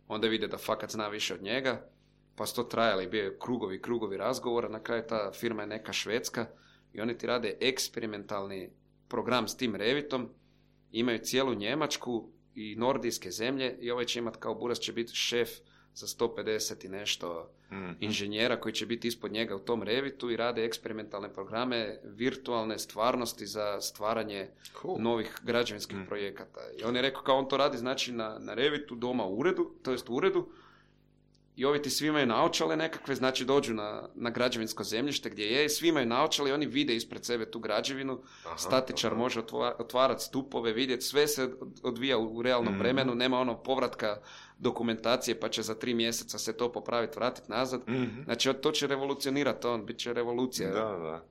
onda vide da fakat zna više od njega, pa su to trajali, bio je krugovi, krugovi razgovora, na kraju ta firma je neka švedska i oni ti rade eksperimentalni program s tim Revitom, imaju cijelu Njemačku i nordijske zemlje i ovaj će imat kao Buraz će biti šef za sto pedeset i nešto mm-hmm. inženjera koji će biti ispod njega u tom Revitu i rade eksperimentalne programe virtualne stvarnosti za stvaranje cool. novih građevinskih mm. projekata. I on je rekao kao on to radi znači na, na Revitu doma u uredu, to jest u uredu, i ovi ti svi imaju naočale nekakve, znači dođu na, na građevinsko zemljište gdje je, svi imaju naočale i oni vide ispred sebe tu građevinu, aha, statičar aha. može otvarati stupove, vidjeti, sve se odvija u realnom mm-hmm. vremenu, nema ono povratka dokumentacije pa će za tri mjeseca se to popraviti, vratiti nazad. Mm-hmm. Znači to će revolucionirati on, bit će revolucija. Da, da.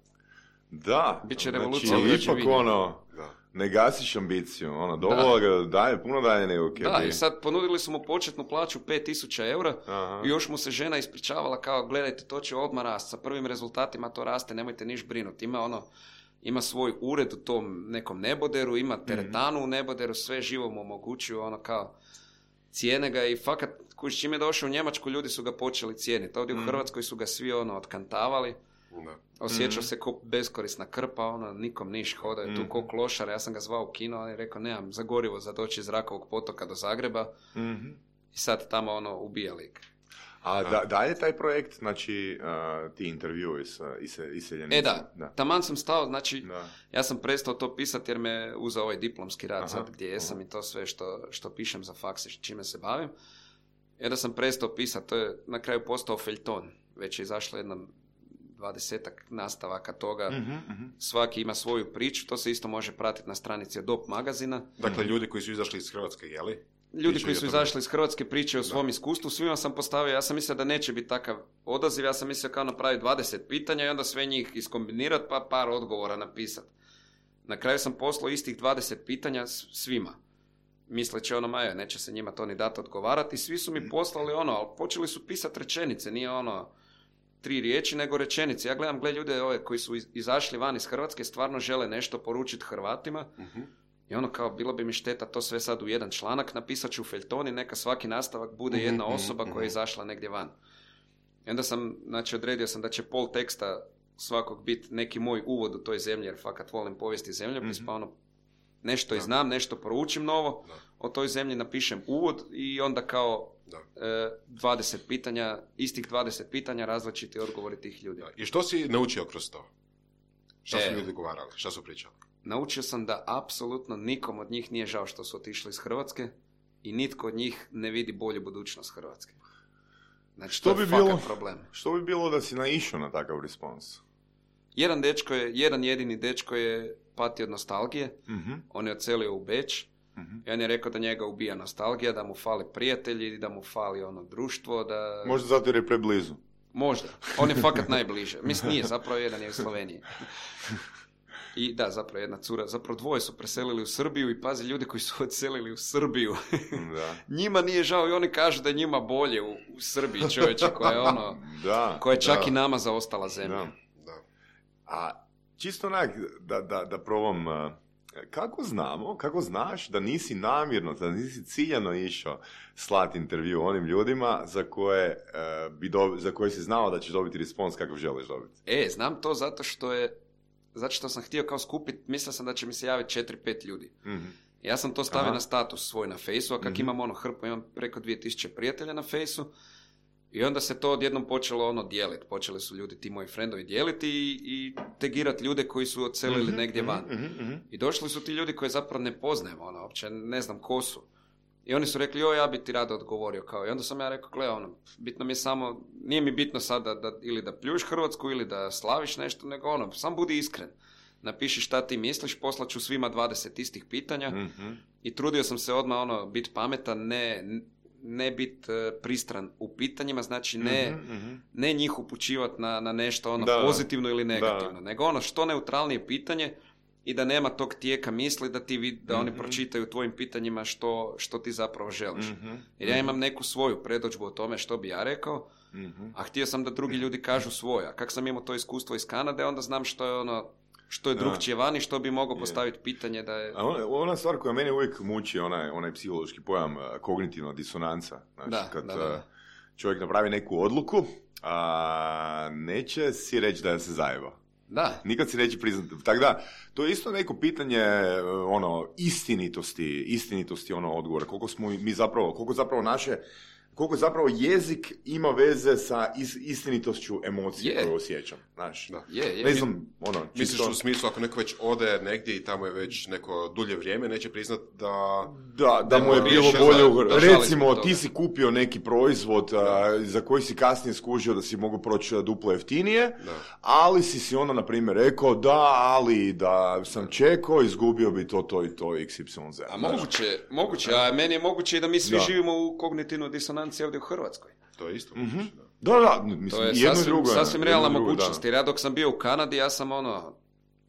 Da, bit će revolucija. Znači, ipak ono, ne gasiš ambiciju, ono, dovola ga daje, puno daje nego kje. Da, i sad ponudili su mu početnu plaću pet tisuća eura i još mu se žena ispričavala kao, gledajte, to će odmah rast, sa prvim rezultatima to raste, nemojte niš brinuti. Ima ono, ima svoj ured u tom nekom neboderu, ima teretanu mm-hmm. u neboderu, sve živo mu omogućuju, ono kao, cijene ga i fakat, kuć, čim je došao u Njemačku, ljudi su ga počeli cijeniti. Ovdje mm-hmm. u Hrvatskoj su ga svi ono otkantavali. Da. Osjećao mm-hmm. se ko beskorisna krpa, ono, nikom niš, hodao je mm-hmm. tu ko klošar, ja sam ga zvao u kino, on je rekao, nemam za gorivo za doći iz Rakovog potoka do Zagreba, mm-hmm. i sad tamo, ono, ubija lik. A da, da je taj projekt, znači, uh, ti intervjui s iseljenicima? E da, da. Taman sam stao, znači, da. ja sam prestao to pisati jer me uzeo ovaj diplomski rad Aha, sad gdje jesam aha. i to sve što, što pišem za faks i čime se bavim. Jer da sam prestao pisati, to je na kraju postao feljton. Već je izašlo jedno dvadesetak nastavaka toga. Uh-huh, uh-huh. Svaki ima svoju priču, to se isto može pratiti na stranici Adobe magazina. Dakle, ljudi koji su izašli iz Hrvatske, jeli? Ljudi Pričaju koji su tome. izašli iz Hrvatske pričaju o svom iskustvu, svima sam postavio, ja sam mislio da neće biti takav odaziv, ja sam mislio kao napraviti dvadeset pitanja i onda sve njih iskombinirati pa par odgovora napisati. Na kraju sam poslao istih dvadeset pitanja svima. Misleći ono, maja, neće se njima to ni dati odgovarati. Svi su mi poslali ono, ali počeli su pisati rečenice, nije ono tri riječi, nego rečenice. Ja gledam, gle ljude ove koji su izašli van iz Hrvatske, stvarno žele nešto poručiti Hrvatima. Uh-huh. I ono kao, bilo bi mi šteta to sve sad u jedan članak, napisat ću u feljton i neka svaki nastavak bude uh-huh, jedna osoba uh-huh. koja je izašla negdje van. I onda sam, znači, odredio sam da će pol teksta svakog biti neki moj uvod u toj zemlji, jer fakat volim povijesti zemljopis, uh-huh. pa ono, nešto i znam, nešto poručim novo, da. O toj zemlji napišem uvod i onda kao e, dvadeset pitanja, istih dvadeset pitanja, različiti odgovori tih ljudi. Da. I što si naučio kroz to? Šta su e, ljudi govarali? Šta su pričali? Naučio sam da apsolutno nikom od njih nije žao što su otišli iz Hrvatske i nitko od njih ne vidi bolju budućnost Hrvatske. Znači, što to je bi bilo, problem. Što bi bilo da si naišao na takav respons? Jedan dečko je, jedan jedini dečko je pati od nostalgije. Mm-hmm. On je odselio u Beč. Mm-hmm. I on je rekao da njega ubija nostalgija, da mu fali prijatelji, da mu fali ono društvo, da... Možda zato jer je preblizu. Možda. On je fakat najbliže. Mislim, nije, zapravo jedan je u Sloveniji. I da, zapravo jedna cura, zapravo dvoje su preselili u Srbiju i pazi, ljudi koji su odselili u Srbiju, da. Njima nije žao i oni kažu da je njima bolje u, u Srbiji, čovječe, koja je ono, da, koja je čak da. i nama zaostala zemlja. Da. Da. A čisto onak, da, da, da probam, kako znamo, kako znaš da nisi namjerno, da nisi ciljano išao slati intervju onim ljudima za koje, uh, bi do, za koje si znao da ćeš dobiti respons kakav želiš dobiti? E, znam to zato što je Zato što sam htio kao skupiti, mislio sam da će mi se javiti četiri pet ljudi. Mm-hmm. Ja sam to stavio Aha. na status svoj na fejsu, a kak mm-hmm. imam ono hrpu, imam preko dvije tisuće prijatelja na fejsu i onda se to odjednom počelo ono dijeliti. Počeli su ljudi, ti moji frendovi dijeliti i, i tegirati ljude koji su odselili mm-hmm. negdje van. Mm-hmm. I došli su ti ljudi koje zapravo ne poznajem, ono, uopće ne znam ko su. I oni su rekli, joj, ja bi ti rado odgovorio. Kao. I onda sam ja rekao, gle, ono, bitno mi je samo, nije mi bitno sad da, da, ili da pljuš Hrvatsku ili da slaviš nešto, nego ono, sam budi iskren. Napiši šta ti misliš, poslaću svima dvadeset istih pitanja mm-hmm. i trudio sam se odmah ono, biti pametan, ne, ne biti uh, pristran u pitanjima, znači ne, mm-hmm. ne njih upućivati na, na nešto ono da. pozitivno ili negativno, da. nego ono što neutralnije pitanje i da nema tog tijeka misli da ti vid, da mm-hmm. oni pročitaju tvojim pitanjima što, što ti zapravo želiš. Mm-hmm. Jer ja imam neku svoju predodžbu o tome što bi ja rekao, mm-hmm. a htio sam da drugi ljudi kažu svoje. A kak sam imao to iskustvo iz Kanade, onda znam što je ono, što je drugčije vani, što bi mogao postaviti pitanje da je... A ona, ona stvar koja mene uvijek muči, onaj, onaj psihološki pojam kognitivna disonanca. Znači, da, kad da, da. čovjek napravi neku odluku, a neće si reći da je se zajebao. Da. Nikad si neće priznati. Tako da, to je isto neko pitanje ono, istinitosti, istinitosti ono odgovora. Koliko smo mi zapravo, koliko zapravo naše, koliko zapravo jezik ima veze sa is, istinitošću emocije yeah. koje osjećam. Znaš, da. Yeah, yeah. Ne znam, ono... Misliš čisto... u smislu, ako neko već ode negdje i tamo je već neko dulje vrijeme, neće priznat da... Da, da, da mu je bilo bolje... Da, recimo, ti si kupio neki proizvod a, za koji si kasnije skužio da si mogu proći duplo jeftinije, da. ali si si onda, na primjer, rekao da, ali da sam čekao, izgubio bi to, to i to, iks ipsilon zet. A moguće, moguće, a meni je moguće i da mi svi da. živimo u kognitivnoj disonanci ovdje u Hrvatskoj. To je isto. Mm-hmm. Da, da, mislim, to je jedno sasvim, drugo, sasvim realna drugo, mogućnost. Jer ja dok sam bio u Kanadi, ja sam ono,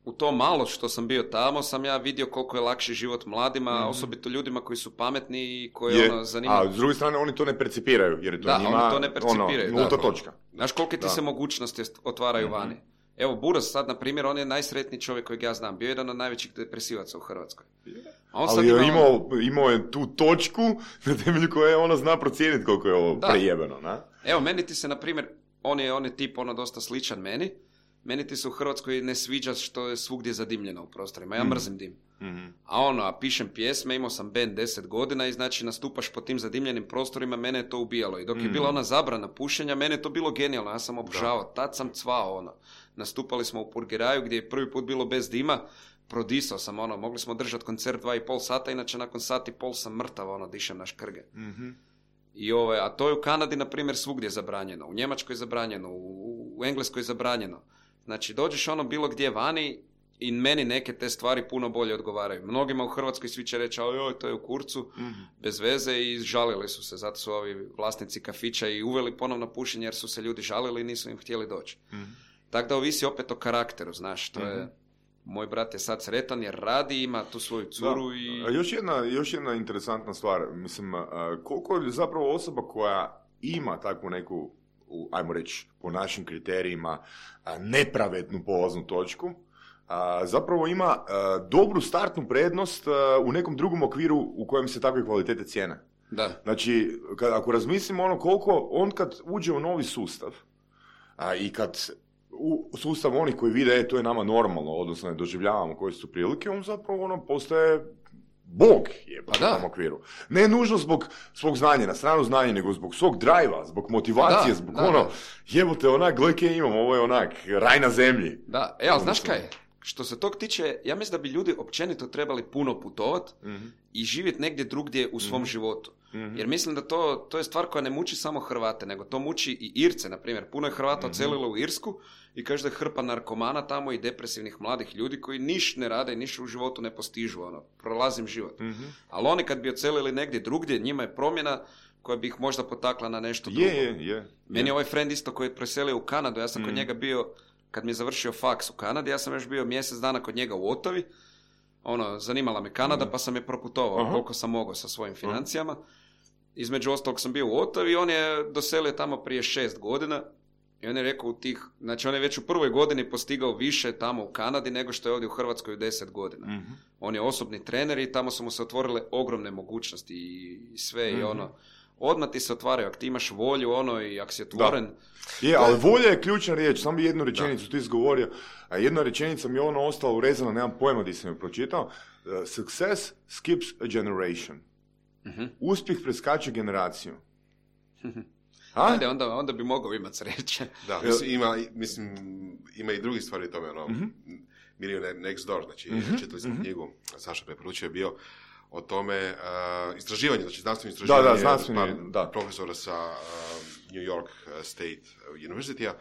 u to malo što sam bio tamo, sam ja vidio koliko je lakši život mladima, mm-hmm. osobito ljudima koji su pametni i koji je, ono zanimaju. A s druge strane, oni to ne percipiraju, jer je to da, njima, oni to ne percipiraju, ono, nulta da. točka. Znaš kolike ti da. se mogućnosti otvaraju mm-hmm. vani? Evo, Buras sad, na primjer, on je najsretniji čovjek kojeg ja znam. Bio je jedan od najvećih depresivaca u Hrvatskoj. A on ali je imao, imao, imao je tu točku na temelju koje ona zna procijeniti koliko je ovo da. prejebeno, na? Evo, meni ti se, na primjer, on je, on je tip ono dosta sličan meni meni ti se u Hrvatskoj ne sviđa što je svugdje zadimljeno u prostorima, ja mrzim dim. Mm-hmm. A ono, a pišem pjesme, imao sam band deset godina i znači nastupaš po tim zadimljenim prostorima, mene je to ubijalo. I dok je bila ona zabrana pušenja, mene je to bilo genijalno, ja sam obožavao, tad sam cvao, ono. Nastupali smo u Purgeraju gdje je prvi put bilo bez dima, prodisao sam, ono, mogli smo držati koncert dva i pol sata, inače nakon sat i pol sam mrtav, ono, dišem na škrge. Mm-hmm. I ove, a to je u Kanadi, na primjer, svugdje zabranjeno, u Njemačkoj zabranjeno, u, u Engleskoj zabranjeno. Znači, dođeš ono bilo gdje vani i meni neke te stvari puno bolje odgovaraju. Mnogima u Hrvatskoj svi će reći, oj, to je u kurcu, mm-hmm. bez veze i žalili su se. Zato su ovi vlasnici kafića i uveli ponovno pušenje jer su se ljudi žalili i nisu im htjeli doći. Mm-hmm. Tako da ovisi opet o karakteru, znaš, to mm-hmm. je... Moj brat je sad sretan jer radi, ima tu svoju curu da. I... A još jedna, još jedna interesantna stvar, mislim, koliko je zapravo osoba koja ima takvu neku, ajmo reći, po našim kriterijima, nepravednu polaznu točku, zapravo ima dobru startnu prednost u nekom drugom okviru u kojem se takve kvalitete cijene. Da. Znači, kad, ako razmislimo ono koliko, on kad uđe u novi sustav a, i kad u sustav onih koji vide, e, to je nama normalno, odnosno ne doživljavamo koje su prilike, on zapravo ono postaje bog je po tom okviru. Ne nužno zbog svog znanja, na stranu znanja, nego zbog svog drajva, zbog motivacije, da, zbog da, ono, da. Jebote, onak, gledaj kaj imam, ovo je onak, raj na zemlji. Da, e, ali znaš kaj, što se tog tiče, ja mislim da bi ljudi općenito trebali puno putovat mm-hmm. i živjeti negdje drugdje u svom mm-hmm. životu. Mm-hmm. Jer mislim da to, to je stvar koja ne muči samo Hrvate, nego to muči i Irce, na primjer. Puno je Hrvata mm-hmm. odselilo u Irsku i kaže da je hrpa narkomana tamo i depresivnih mladih ljudi koji niš ne rade i niš u životu ne postižu, ono, prolazim život. Mm-hmm. Ali oni kad bi odselili negdje drugdje, njima je promjena koja bi ih možda potakla na nešto drugo. Je, je, je. Meni je ovaj friend isto koji je preselio u Kanadu, ja sam mm-hmm. kod njega bio, kad mi je završio faks u Kanadi, ja sam još bio mjesec dana kod njega u Ottawi, ono, zanimala me Kanada, mm-hmm. pa sam je proputovao uh-huh. koliko sam mogao sa svojim financijama. Između ostalog sam bio u Ottawi i on je doselio tamo prije šest godina i on je rekao u tih, znači on je već u prvoj godini postigao više tamo u Kanadi nego što je ovdje u Hrvatskoj u deset godina. Mm-hmm. On je osobni trener i tamo su mu se otvorile ogromne mogućnosti i sve mm-hmm. i ono, odmah ti se otvaraju, ako ti imaš volju ono i ako si otvoren. Da. Je, ali volja je ključna riječ, samo bi jednu rečenicu da. Ti izgovorio, a jedna rečenica mi je ono ostala urezana, nemam pojma gdje sam je pročitao, uh, success skips a generation. Uh-huh. Uspjeh preskače generaciju. Ajde, onda, onda bi mogao imati sreće. Da, mislim, ima, mislim, ima i drugi stvari u tome, ono, uh-huh. Millionaire Next Door, znači, uh-huh. čitali smo uh-huh. knjigu, Saša preporučio je bio o tome, uh, istraživanje, znači znanstveno istraživanje, da, da, znanstveni, pa, da. profesora sa uh, New York State University-a,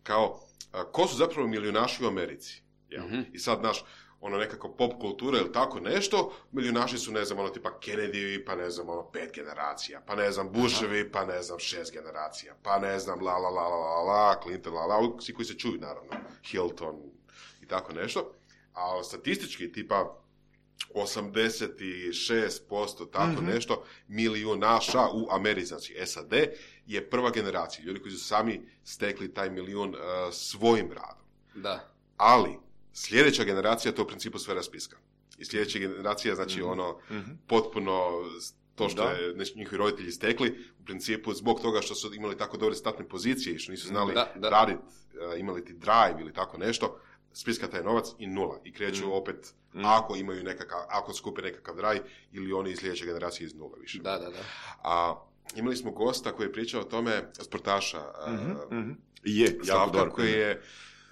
kao, uh, ko su zapravo milijunaši u Americi? Ja? Uh-huh. I sad, naš, ono nekako pop kultura ili tako nešto, milijunaši su, ne znam, ono tipa Kennedy, pa ne znam, ono pet generacija, pa ne znam, Bushevi, pa ne znam, šest generacija, pa ne znam, la la la la la la, Clinton, la la, svi koji se čuju, naravno, Hilton i tako nešto, a statistički tipa osamdeset šest posto tako mm-hmm. nešto milijunaša u Americi, znači S A D, je prva generacija, ljudi koji su sami stekli taj milijun uh, svojim radom. Da. Ali, sljedeća generacija to u principu sve raspiska. I sljedeća generacija, znači mm-hmm. ono, mm-hmm. potpuno to što da. je njihovi roditelji stekli, u principu zbog toga što su imali tako dobre startne pozicije i što nisu znali da, da. raditi, uh, imali ti drive ili tako nešto, spiska taj novac i nula. I kreću mm. opet, mm. ako imaju nekakav, ako skupe nekakav drive, ili oni iz sljedeće generacije iz nula više. Da, da, da. A, imali smo gosta koji je pričao o tome, sportaša, mm-hmm. Uh, mm-hmm. je, Slavka, koji je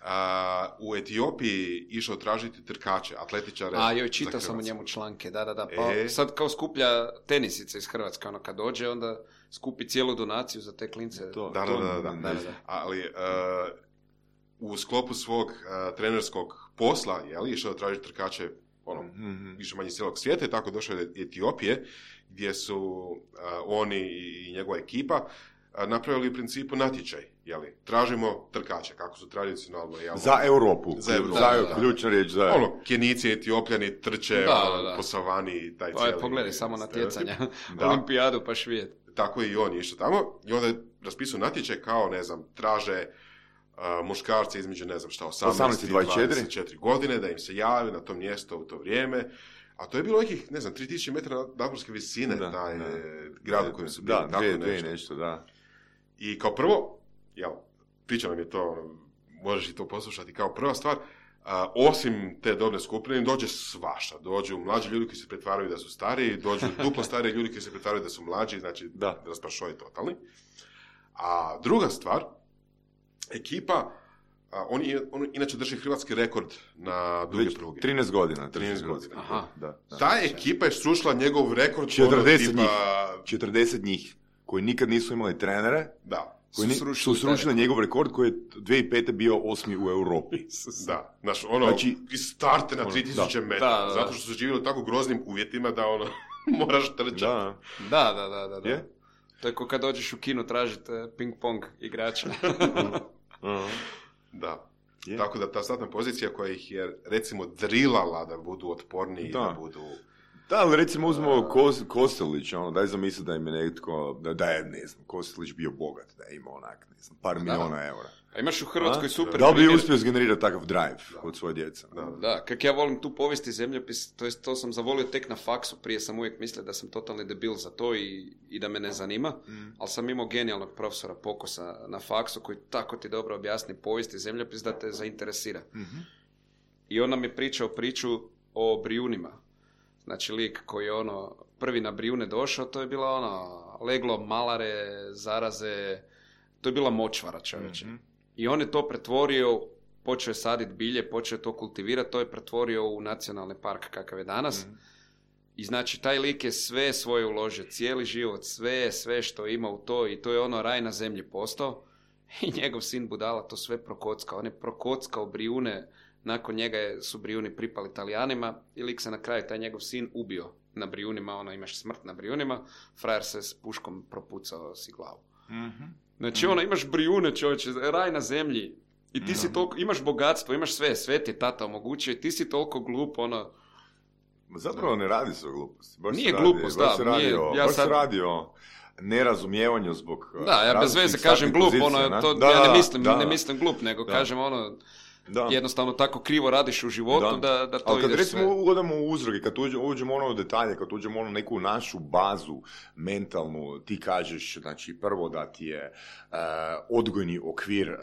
Uh, u Etiopiji išao tražiti trkače, atletičare. A joj, čitao sam u njemu članke, da, da, da. Pa e... sad kao skuplja tenisice iz Hrvatske, ono kad dođe, onda skupi cijelu donaciju za te klince. To, da, to, da, da, da, da, da, da. Ali uh, u sklopu svog uh, trenerskog posla, jel, išao tražiti trkače ono, mm-hmm. više manje cijelog svijeta i tako došao do Etiopije, gdje su uh, oni i njegova ekipa napravili u principu natječaj, jeli, tražimo trkače, kako su tradicionalno, jel, za Europu, za Europu, za Europu, ključna riječ, za ono, Kenici, Etiopljani trče da, ono, da, da. po savani, taj cijeli. Pogledaj samo natjecanja, olimpijadu pa švijet. Tako i on je išao tamo i onda je raspisao natječaj kao, ne znam, traže uh, muškarce između, ne znam šta, osamnaest i dvadeset četiri godine, da im se jave na to mjesto u to vrijeme. A to je bilo nekih, ne znam, tri tisuće metara nadmorske visine, da, taj da. grad u kojem su bili. Da, tako dvije, nešto. nešto, da. I kao prvo, jel, priča nam je to možeš i to poslušati kao prva stvar. A, osim te dobne skupine, dođe svašta. Dođu mlađi ljudi koji se pretvaraju da su stariji, dođu duplo stariji ljudi koji se pretvaraju da su mlađi, znači da, rasprašoj totalni. A druga stvar, ekipa, a, on, on inače drži hrvatski rekord na duge pruge. trinaest godina. trinaest godina. Aha. Da, da. Ta ekipa je srušila njegov rekord. četrdeset tipa... njih. četrdeset njih koji nikad nisu imali trenere. Da. Koji su srušili, su srušili njegov rekord koji je dvije tisuće pete bio osmi u Europi. Da, znaš, ono, znači, iz starte na tri tisuće metara, da, zato što su živjeli u tako groznim uvjetima da, ono, moraš trčati. Da, da, da, da, da. Je? To je ko kad dođeš u kino tražiti ping-pong igrača. Da. Je. Tako da ta statna pozicija koja ih je, recimo, drilala da budu otporniji, da, da budu... Da, ali recimo uzmemo Kos, Kostelić, ono, daj zamisli da im je netko, da, da je, ne znam, Kostelić bio bogat, da je imao onak, ne znam, par da. miliona eura. A imaš u Hrvatskoj A? super... Da li bi uspio zgenerirati takav drive da. od svoje djece? Da, da. Kak ja volim tu povijesti zemljopis, to jest to sam zavolio tek na faksu, prije sam uvijek mislio da sam totalni debil za to i, i da me ne zanima, mm. ali sam imao genijalnog profesora Pokosa na faksu koji tako ti dobro objasni povijesti zemljopis da te zainteresira. Mm-hmm. I on nam je pričao priču o Brijunima. Znači, lik koji je ono prvi na Brijune došao, to je bilo ono leglo malare, zaraze, to je bila močvara, čovječe. Mm-hmm. I on je to pretvorio, počeo je saditi bilje, počeo je to kultivirati, to je pretvorio u nacionalni park kakav je danas. Mm-hmm. I znači, taj lik je sve svoje uložio, cijeli život, sve, sve što ima u to i to je ono raj na zemlji postao. I njegov sin budala to sve prokockao. On je prokockao Brijune. Nakon njega su Brijuni pripali Talijanima i lik se na kraju, taj njegov sin, ubio na Brijunima, ono, imaš smrt na Brijunima, frajer se s puškom propucao si glavu. Mm-hmm. Znači, mm-hmm. ono, imaš Brijune, čovječe, raj na zemlji i ti mm-hmm. si toliko, imaš bogatstvo, imaš sve, sve ti tata omogućio i ti si toliko glup, ono... Zapravo ne radi se o gluposti. Baš nije radi, glupost, baš da. Se Nije, o, ja baš sad... se radi o nerazumijevanju zbog... Da, ja bez veze kažem glup, pozicija, ono, to, da, ja ne da, mislim, da, ne da. mislim glup, nego da. kažem ono... Da. Jednostavno tako krivo radiš u životu da, da, da to ali kad ideš recimo sve... ugodamo u uzroke, kad uđemo, uđemo ono u detalje, kad uđemo ono neku našu bazu mentalnu, ti kažeš, znači prvo da ti je uh, odgojni okvir uh,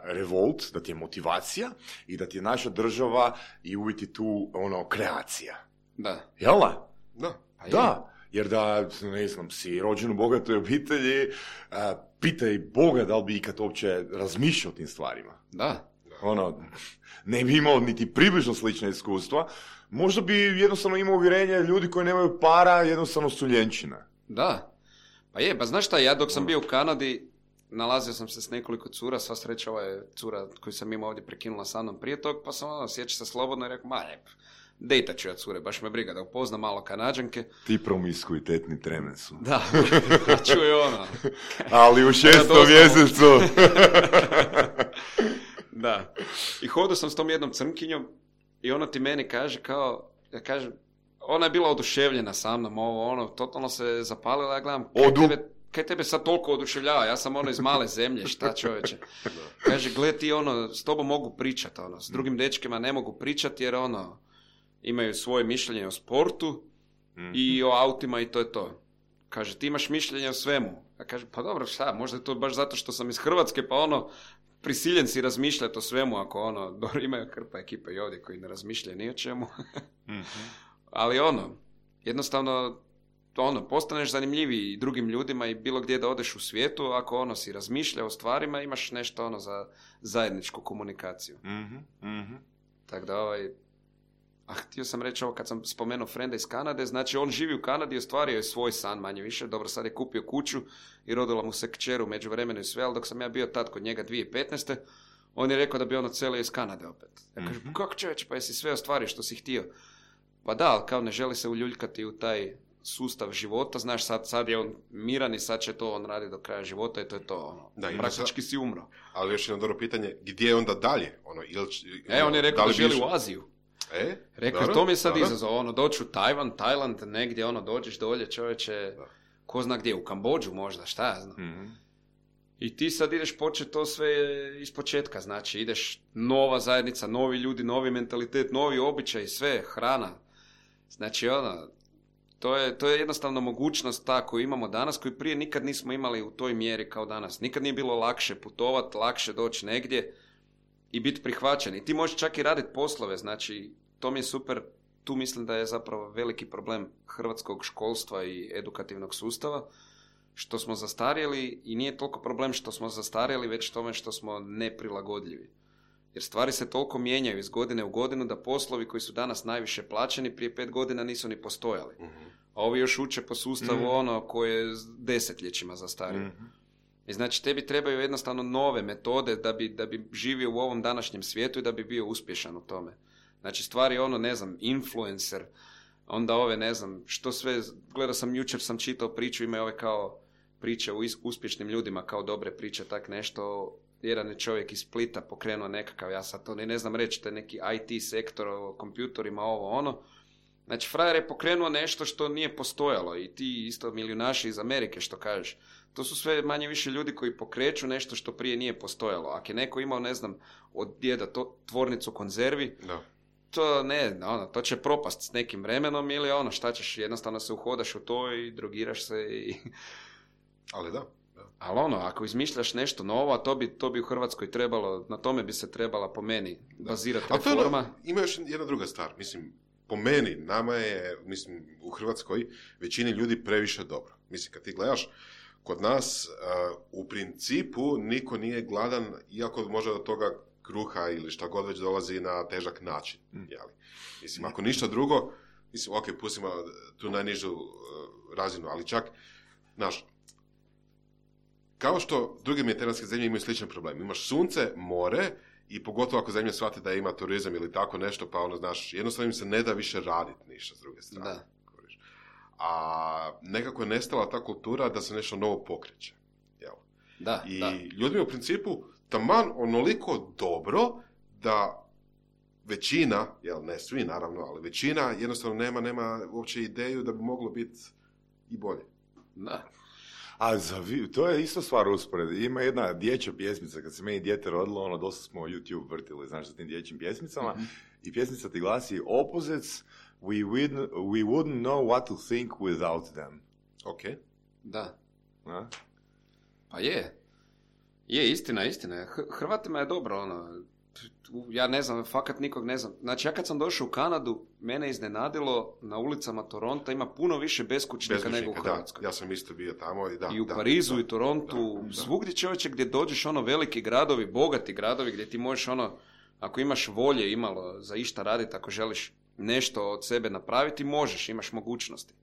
revolt, da ti je motivacija i da ti je naša država i uvjeti tu ono kreacija. Da. Jel da? Da. Pa da. Jer da, ne znam, si rođen u bogatoj obitelji, uh, pitaj Boga da li bi ikad uopće razmišljao o tim stvarima. Da. Ono, ne bi imao niti približno slična iskustva, možda bi jednostavno imao uvjerenje ljudi koji nemaju para, jednostavno su ljenčina. Da, pa je, pa znaš šta, ja dok sam bio u Kanadi, nalazio sam se s nekoliko cura, sva sreća ova je cura koju sam imao ovdje prekinula sa mnom prije tog, pa sam ono, sjeća se slobodno i rekao, ma ne, dejtat ću ja cure, baš me briga da upoznam malo Kanađanke. Ti promiskuitetni tremen su. Da, čuj ono. Ali u šestom mjesecu. Da. I hodao sam s tom jednom crnkinjom i ona ti meni kaže kao, ja kažem, ona je bila oduševljena sa mnom, ovo, ono, totalno se zapalila, ja gledam, kaj tebe, kaj tebe sad toliko oduševljava, ja sam ono iz male zemlje, šta čovječe. Kaže, gled ti ono, s tobom mogu pričati, ono, s drugim dečkima ne mogu pričati jer ono, imaju svoje mišljenje o sportu i o autima i to je to. Kaže, ti imaš mišljenje o svemu. Ja kažem, pa dobro, šta, možda je to baš zato što sam iz Hrvatske, pa ono, prisiljen si razmišljati o svemu, ako ono, dobro, imaju krpa ekipa i ovdje koji ne razmišljaju ni o čemu. Mm-hmm. Ali ono, jednostavno, ono, postaneš zanimljiviji drugim ljudima i bilo gdje da odeš u svijetu, ako ono, si razmišlja o stvarima, imaš nešto ono za zajedničku komunikaciju. Mm-hmm. Mm-hmm. Tako da ovaj, a htio sam reći ovo kad sam spomenuo frenda iz Kanade, znači on živi u Kanadi i ostvario je svoj san manje više, dobro sad je kupio kuću i rodila mu se kćer u međuvremenu i sve, ali dok sam ja bio tad kod njega dvije tisuće petnaeste. on je rekao da bi on odselio iz Kanade opet. Ja kažem, mm-hmm. kako čovječ, pa jesi sve ostvario što si htio? Pa da, ali kao ne želi se uljuljkati u taj sustav života, znaš, sad, sad je on miran i sad će to on radi do kraja života i to je to, ono, da, praktički sad, si umro. Ali još jedno dobro pitanje, gdje je onda dalje? Ono, ili, e, on je rekao da, da želi u Aziju. E? Rekao, dobro, to mi je sad dobro. Izazov, ono, doći u Tajvan, Tajland, negdje, ono, dođeš dolje, čovječe, da. Ko zna gdje, u Kambodžu možda, šta ja znam. Mm-hmm. I ti sad ideš početi to sve iz početka, znači ideš nova zajednica, novi ljudi, novi mentalitet, novi običaj, sve, hrana. Znači, ono, to je, to je jednostavno mogućnost ta koju imamo danas, koju prije nikad nismo imali u toj mjeri kao danas. Nikad nije bilo lakše putovati, lakše doći negdje. i biti prihvaćen. I ti možeš čak i raditi poslove, znači to mi je super, tu mislim da je zapravo veliki problem hrvatskog školstva i edukativnog sustava, što smo zastarjeli i nije toliko problem što smo zastarjeli, već tome što smo neprilagodljivi. Jer stvari se toliko mijenjaju iz godine u godinu da poslovi koji su danas najviše plaćeni prije pet godina nisu ni postojali. Uh-huh. A ovi još uče po sustavu uh-huh. ono koje je desetljećima zastario. Uh-huh. I znači tebi trebaju jednostavno nove metode da bi, da bi živio u ovom današnjem svijetu i da bi bio uspješan u tome. Znači stvari ono, ne znam, influencer, onda ove, ne znam, što sve, gledao sam, jučer sam čitao priču, ima ove kao priče o uspješnim ljudima, kao dobre priče, tak nešto. Jedan je čovjek iz Splita pokrenuo nekakav, ja sad to ne, ne znam reći, to je neki I T sektor o kompjutorima, ovo ono. Znači, frajer je pokrenuo nešto što nije postojalo i ti isto milijunaši iz Amerike, što kažeš. To su sve manje više ljudi koji pokreću nešto što prije nije postojalo. Ako je neko imao, ne znam, od djeda to, tvornicu konzervi, no. to ne, ono, to će propast s nekim vremenom ili ono, šta ćeš, jednostavno se uhodaš u to i drogiraš se i... Ali da. Ali ono, ako izmišljaš nešto novo, a to bi, to bi u Hrvatskoj trebalo, na tome bi se trebala po meni bazirati da. reforma. Ono, ima još jedna druga stvar, mislim, po meni, nama je, mislim, u Hrvatskoj većini ljudi previše dobro. Mislim, kad ti gledaš, kod nas uh, u principu niko nije gladan, iako može do toga kruha ili šta god već dolazi na težak način. Mm. Jeli? Mislim, ako ništa drugo, mislim, ok, pustimo tu najnižu uh, razinu, ali čak, znaš, kao što druge mediteranske zemlje imaju sličan problem. Imaš sunce, more i pogotovo ako zemlja shvati da ima turizam ili tako nešto, pa ono, znaš, jednostavno im se ne da više raditi ništa s druge strane. Da. A nekako je nestala ta kultura da se nešto novo pokreće. Jel? Da, I da. ljudima u principu taman onoliko dobro da većina, jel, ne svi naravno, ali većina jednostavno nema, nema uopće ideju da bi moglo biti i bolje. Da. A za vi, to je isto stvar usporedi. Ima jedna dječja pjesmica, kad se meni dijete rodilo, ono, dosta smo YouTube vrtili, znaš, sa tim dječjim pjesmicama, mm-hmm. i pjesmica ti glasi Opposites, we, wouldn't, we wouldn't know what to think without them. Ok. Da. A? Pa je. Je, istina, istina. Hrvatima je dobro, ono, ja ne znam, fakat nikog ne znam. Znači, ja kad sam došao u Kanadu, mene iznenadilo, na ulicama Toronta ima puno više beskućnika, beskućnika nego u Hrvatskoj. Da, ja sam isto bio tamo i da. I u da, Parizu da, i Torontu, da, da. Svugdje čovječe gdje dođeš, ono, veliki gradovi, bogati gradovi, gdje ti možeš, ono, ako imaš volje imalo za išta raditi, ako želiš nešto od sebe napraviti, možeš, imaš mogućnosti.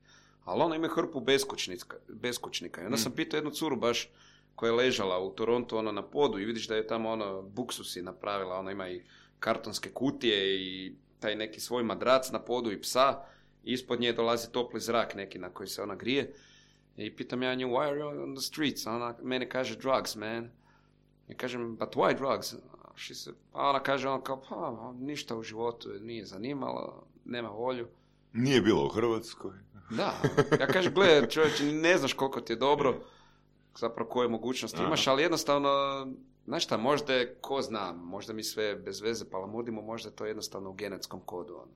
Ali ono, ima hrpu beskućnika, beskućnika. I onda mm. sam pitao jednu curu baš, koja je ležala u Torontu, ono, na podu, i vidiš da je tamo, ono, buksusi napravila, ono, ima i kartonske kutije i taj neki svoj madrac na podu i psa, i ispod nje dolazi topli zrak neki na koji se ona grije. I pitam ja nju, why are you on the streets? A ona meni kaže, drugs, man. I kažem, but why drugs? Se, a ona kaže, ona kao, pa, ništa u životu nije zanimalo, nema volju. Nije bilo u Hrvatskoj. Da, ja kažem, gledaj, čovječe, ne znaš koliko ti je dobro, zapravo koje mogućnosti Aha. imaš, ali jednostavno, znaš šta, možda je, ko zna, možda mi sve bez veze palamudimo, možda je to jednostavno u genetskom kodu, ono.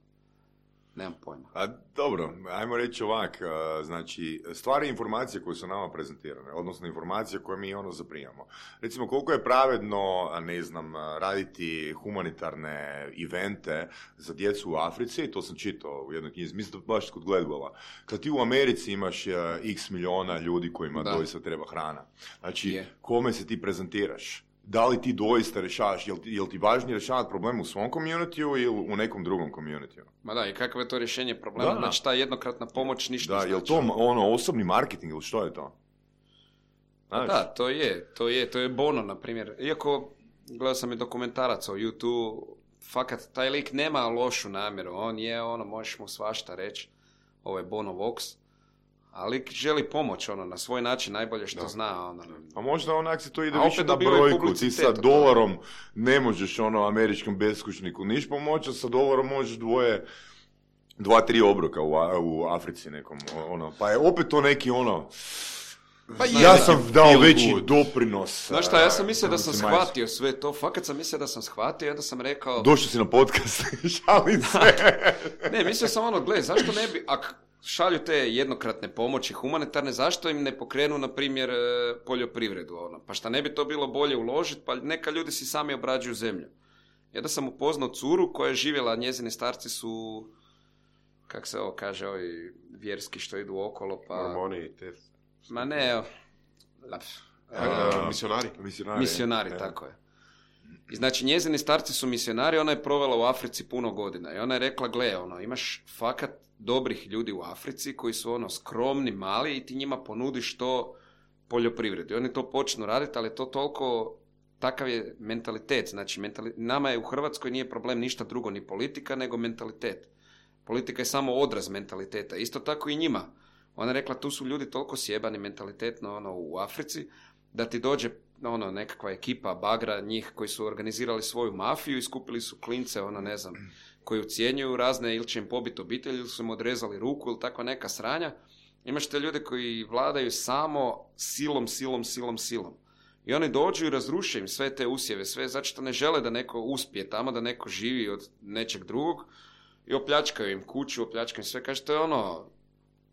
Nemam pojma. A, dobro, ajmo reći ovak, znači, stvari i informacije koje su nama prezentirane, odnosno informacije koje mi ono zaprimamo. Recimo, koliko je pravedno, ne znam, raditi humanitarne evente za djecu u Africi, to sam čitao u jednoj knjizi, mislim da baš kod Gladwella. Kad ti u Americi imaš x miliona ljudi kojima da. doista treba hrana. Znači, je. Kome se ti prezentiraš? Da li ti doista rješavaš, jel ti, jel ti važnije rješavati problem u svom communityu ili u nekom drugom communityu? Ma da, i kakvo je to rješenje problema? Da. Znači, ta jednokratna pomoć ništa da, znači. Jel to ono, osobni marketing ili što je to? Znaš? Da, to je, to je, to je Bono, na primjer. Iako, gledao sam i dokumentarac o YouTube, fakat, taj lik nema lošu namjeru, on je, ono, možeš mu svašta reći, ovo je Bono Vox, ali želi pomoć, ono, na svoj način, najbolje što da. zna, ono. A možda onak se to ide više na brojku, ti sa dolarom ne možeš, ono, američkom beskućniku niš pomoći, sa dolarom možeš dvoje, dva, tri obroka u, u Africi nekom, ono, pa je opet to neki, ono, pa je, ja sam dao veći good. doprinos. Znaš šta, ja sam mislio da sam shvatio sve to, fakat sam mislio da sam shvatio, onda sam rekao... Došao si na podcast, šalim se. Ne, mislio sam ono, gle, zašto ne bi, ak šalju te jednokratne pomoći humanitarne, zašto im ne pokrenu, na primjer, poljoprivredu, ono, pa šta ne bi to bilo bolje uložiti, pa neka ljudi si sami obrađuju zemlju. I onda sam upoznao curu koja je živjela, njezini starci su, kak se ovo kaže, ovi vjerski što idu okolo, pa... Mormoni, te... Ma ne, evo... Uh, misionari. Misionari, misionari je. tako je. I znači njezini starci su misionari, ona je provela u Africi puno godina i ona je rekla, gle, ono, imaš fakat dobrih ljudi u Africi koji su ono skromni, mali i ti njima ponudiš to poljoprivredi. Oni to počnu raditi, ali to toliko, takav je mentalitet. Znači, mentali, nama je u Hrvatskoj nije problem ništa drugo, ni politika, nego mentalitet. Politika je samo odraz mentaliteta. Isto tako i njima. Ona je rekla, tu su ljudi toliko sjebani mentalitetno ono, u Africi, da ti dođe ono, nekakva ekipa bagra njih koji su organizirali svoju mafiju i skupili su klince, ono, ne znam, koji ucijenjuju razne, ili će im pobiti obitelj, ili su im odrezali ruku, ili takva neka sranja. Imaš te ljude koji vladaju samo silom, silom, silom, silom. I oni dođu i razruše im sve te usjeve, sve zato što ne žele da neko uspije tamo, da neko živi od nečeg drugog i opljačkaju im kuću, opljačkaju im sve. Kaže, to je ono,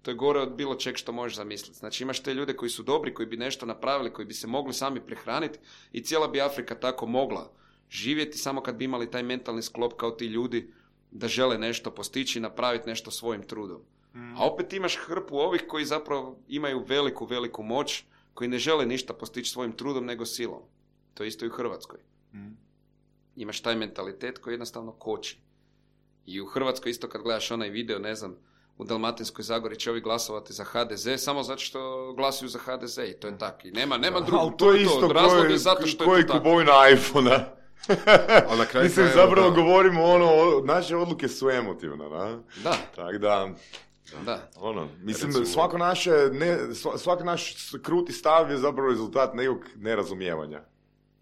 to je gore od bilo čeg što možeš zamisliti. Znači imaš te ljude koji su dobri, koji bi nešto napravili, koji bi se mogli sami prehraniti i cijela bi Afrika tako mogla živjeti samo kad bi imali taj mentalni sklop kao ti ljudi da žele nešto postići i napraviti nešto svojim trudom. Mm. A opet imaš hrpu ovih koji zapravo imaju veliku, veliku moć, koji ne žele ništa postići svojim trudom nego silom. To je isto i u Hrvatskoj. Mm. Imaš taj mentalitet koji jednostavno koči. I u Hrvatskoj isto kad gledaš onaj video, ne znam, u Dalmatinskoj Zagori će ovi glasovati za ha de ze samo zato što glasuju za ha de ze i to je tako. I nema, nema drugog. To je isto razlog je zato što koji je to tako. Kupovina iPhone-a. Mislim, zapravo da. Govorimo ono, naše odluke su emotivne, da? Da. Tako da... Da. Ono, mislim, Recimo, svako naše, ne, svaki naš kruti stav je zapravo rezultat nekog nerazumijevanja.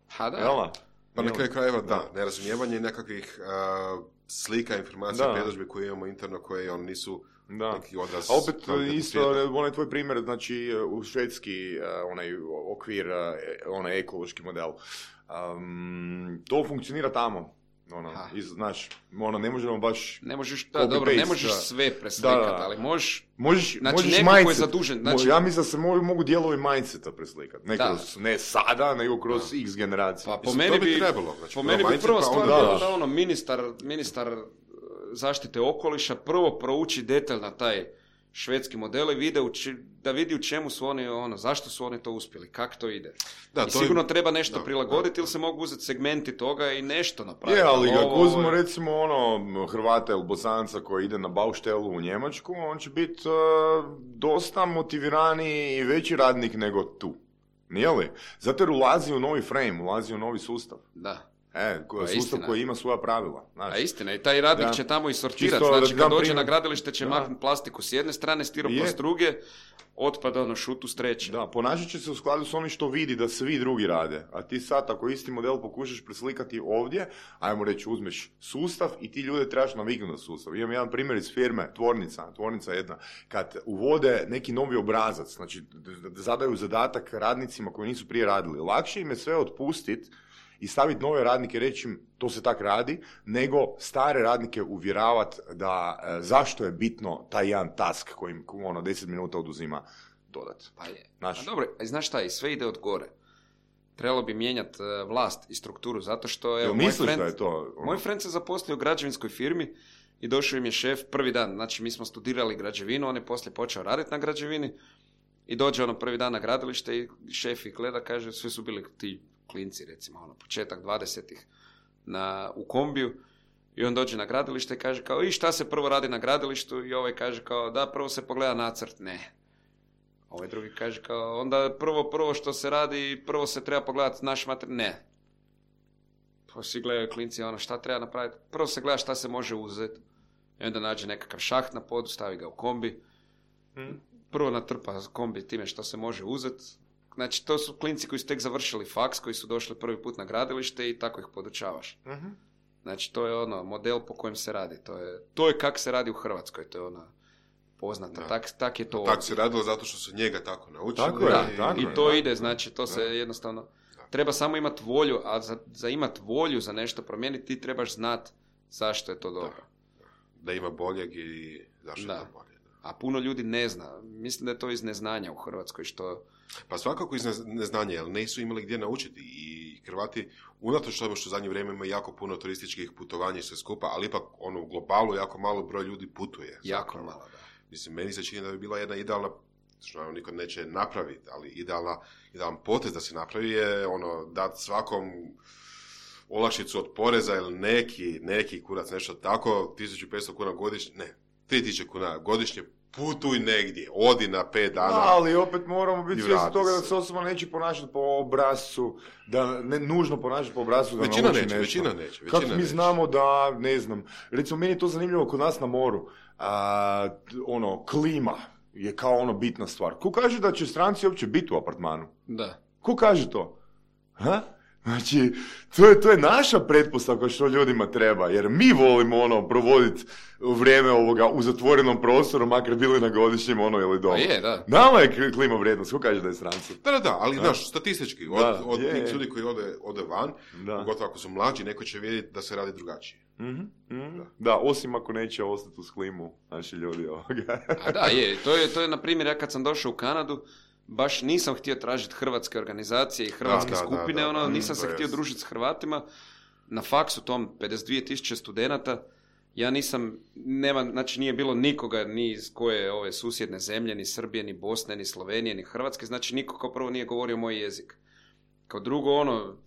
Ha, da. Jela? Pa na kraju krajeva, da, nerazumijevanje nekakvih uh, slika, informacija, predodžbe koje imamo interno, koje on nisu da. Neki odraz... A opet isto, onaj tvoj primjer, znači u švedski uh, onaj okvir, uh, onaj ekološki model, um, to funkcionira tamo. Ono, iz, znaš, ono, ne možemo baš... Ne možeš, da, dobro, ne možeš sve preslikati, da, ali možeš... Možeš, znači, možeš neko mindset, koji je zadužen... Znači... Ja mislim da se mogu, mogu dijelovi mindseta preslikati. Ne, kroz, ne sada, nego kroz da. X generacije. Pa po meni bi, trebalo, znači, po meni bi prvo stvar da, bilo da ono, ministar, ministar zaštite okoliša prvo prouči detaljno taj švedski model i vide či, da vidi u čemu su oni, ono, zašto su oni to uspjeli, kako to ide. Da, I to sigurno je... treba nešto da, prilagoditi da, ili se mogu uzeti segmenti toga i nešto napraviti. Je, ali ako uzmemo recimo ono Hrvata ili Bosanca koji ide na Baustelu u Njemačku, on će biti uh, dosta motiviraniji i veći radnik nego tu. Nije li? Zato jer ulazi u novi frame, ulazi u novi sustav. Da. E, ko, sustav istina. Koji ima svoja pravila. Znaš. A istina, i taj radnik da. Će tamo i sortirati. Znači, kad dođe primjer... na gradilište će maknuti plastiku s jedne strane, stiropor s druge, otpad ono šutu s treće. Da, ponašat će se u skladu s onim što vidi da svi drugi rade. A ti sad, ako isti model pokušaš preslikati ovdje, ajmo reći, uzmeš sustav i ti ljude trebaš naviknuti na sustav. Imam jedan primjer iz firme, tvornica, tvornica jedna, kad uvode neki novi obrazac, znači zadaju zadatak radnicima koji nisu prije radili. Lakše im je sve otpustiti i staviti nove radnike, reći im to se tak radi, nego stare radnike uvjeravati da e, zašto je bitno taj jedan task koji im ono, deset minuta oduzima dodat. Pa je. Znaš, dobro, a znaš šta, i sve ide od gore. Trebalo bi mijenjati uh, vlast i strukturu, zato što... Evo, moj friend, da je to? Ono... Moj friend se zaposlio u građevinskoj firmi i došao im je šef prvi dan. Znači, mi smo studirali građevinu, on je poslije počeo raditi na građevini i dođe ono prvi dan na gradilište i šef ih gleda, kaže, svi su bili ti klinci, recimo, ono, početak dvadesetih na, u kombiju i on dođe na gradilište i kaže kao, i šta se prvo radi na gradilištu? I ovaj kaže kao, da, prvo se pogleda nacrt. Ne. Ovaj drugi kaže kao, onda prvo, prvo što se radi, prvo se treba pogledati naš materijal. Ne. Pa svi gledaju klinci, ono, šta treba napraviti? Prvo se gleda šta se može uzeti. I onda nađe nekakav šaht na podu, stavi ga u kombi. Hmm. Prvo natrpa kombi time što se može uzeti. Znači, to su klinci koji su tek završili faks, koji su došli prvi put na gradilište i tako ih podučavaš. Uh-huh. Znači, to je ono, model po kojem se radi. To je, to je kako se radi u Hrvatskoj, to je ona poznata. Tak, tak je to. Tako se radilo zato što su njega tako naučili. Tako je, da, i, tako i je, to da. ide, znači, to da. Se jednostavno... Da. Treba samo imati volju, a za, za imati volju za nešto promijeniti, ti trebaš znati zašto je to dobro. Da, da ima boljeg i zašto da. Je to bolje. Da. A puno ljudi ne zna. Mislim da je to iz neznanja u Hrvatskoj, što... Pa svakako iz neznanja, jer nisu imali gdje naučiti i i Hrvati, unatoč tome što u zadnje vrijeme ima jako puno turističkih putovanja i sve skupa, ali ipak ono, u globalu jako malo broj ljudi putuje. Jako zapravo. malo, da. Mislim, meni se čini da bi bila jedna idealna, što niko neće napraviti, ali idealna, idealan potez da se napravi je ono, dati svakom olakšicu od poreza ili neki, neki kurac, nešto tako, tisuću petsto kuna godišnje, ne, tri tisuće kuna godišnje, putuj negdje, odi na pet dana. Da, ali opet moramo biti i svjesni vrati toga se. da se osoba neće ponašati po obrascu, da ne nužno ponašati po obrascu da Većina nauči neće, nešto. većina neće, većina Kako mi neće. znamo da, ne znam, recimo meni je to zanimljivo kod nas na moru, a, ono, klima je kao ono bitna stvar. Ko kaže da će stranci uopće biti u apartmanu? Da. Ko kaže to? Ha? Znači, to je, to je naša pretpostavka što ljudima treba, jer mi volimo ono provoditi vrijeme ovoga u zatvorenom prostoru, makar bili na godišnjem ono ili doma. Pa je, da. Nama je klima vrijednost, ko kaže da je stranci? Da, da, da, ali znaš, statistički, od, Da, od je, tih je. ljudi koji ode, ode van, Da. pogotovo ako su mlađi, neko će vidjeti da se radi drugačije. Mm-hmm. Da. da, osim ako neće ostati uz klimu naši ljudi ovoga. A da, je, to je, to je, na primjer, ja kad sam došao u Kanadu, baš nisam htio tražiti hrvatske organizacije i hrvatske Da, da, skupine, da, da, ono, da, nisam to se je htio jasno. družiti s Hrvatima. Na faksu tom pedeset dvije tisuće studenata, ja nisam, nema, znači nije bilo nikoga ni iz koje ove susjedne zemlje, ni Srbije, ni Bosne, ni Slovenije, ni Hrvatske, znači niko kao prvo nije govorio moj jezik. Kao drugo, ono,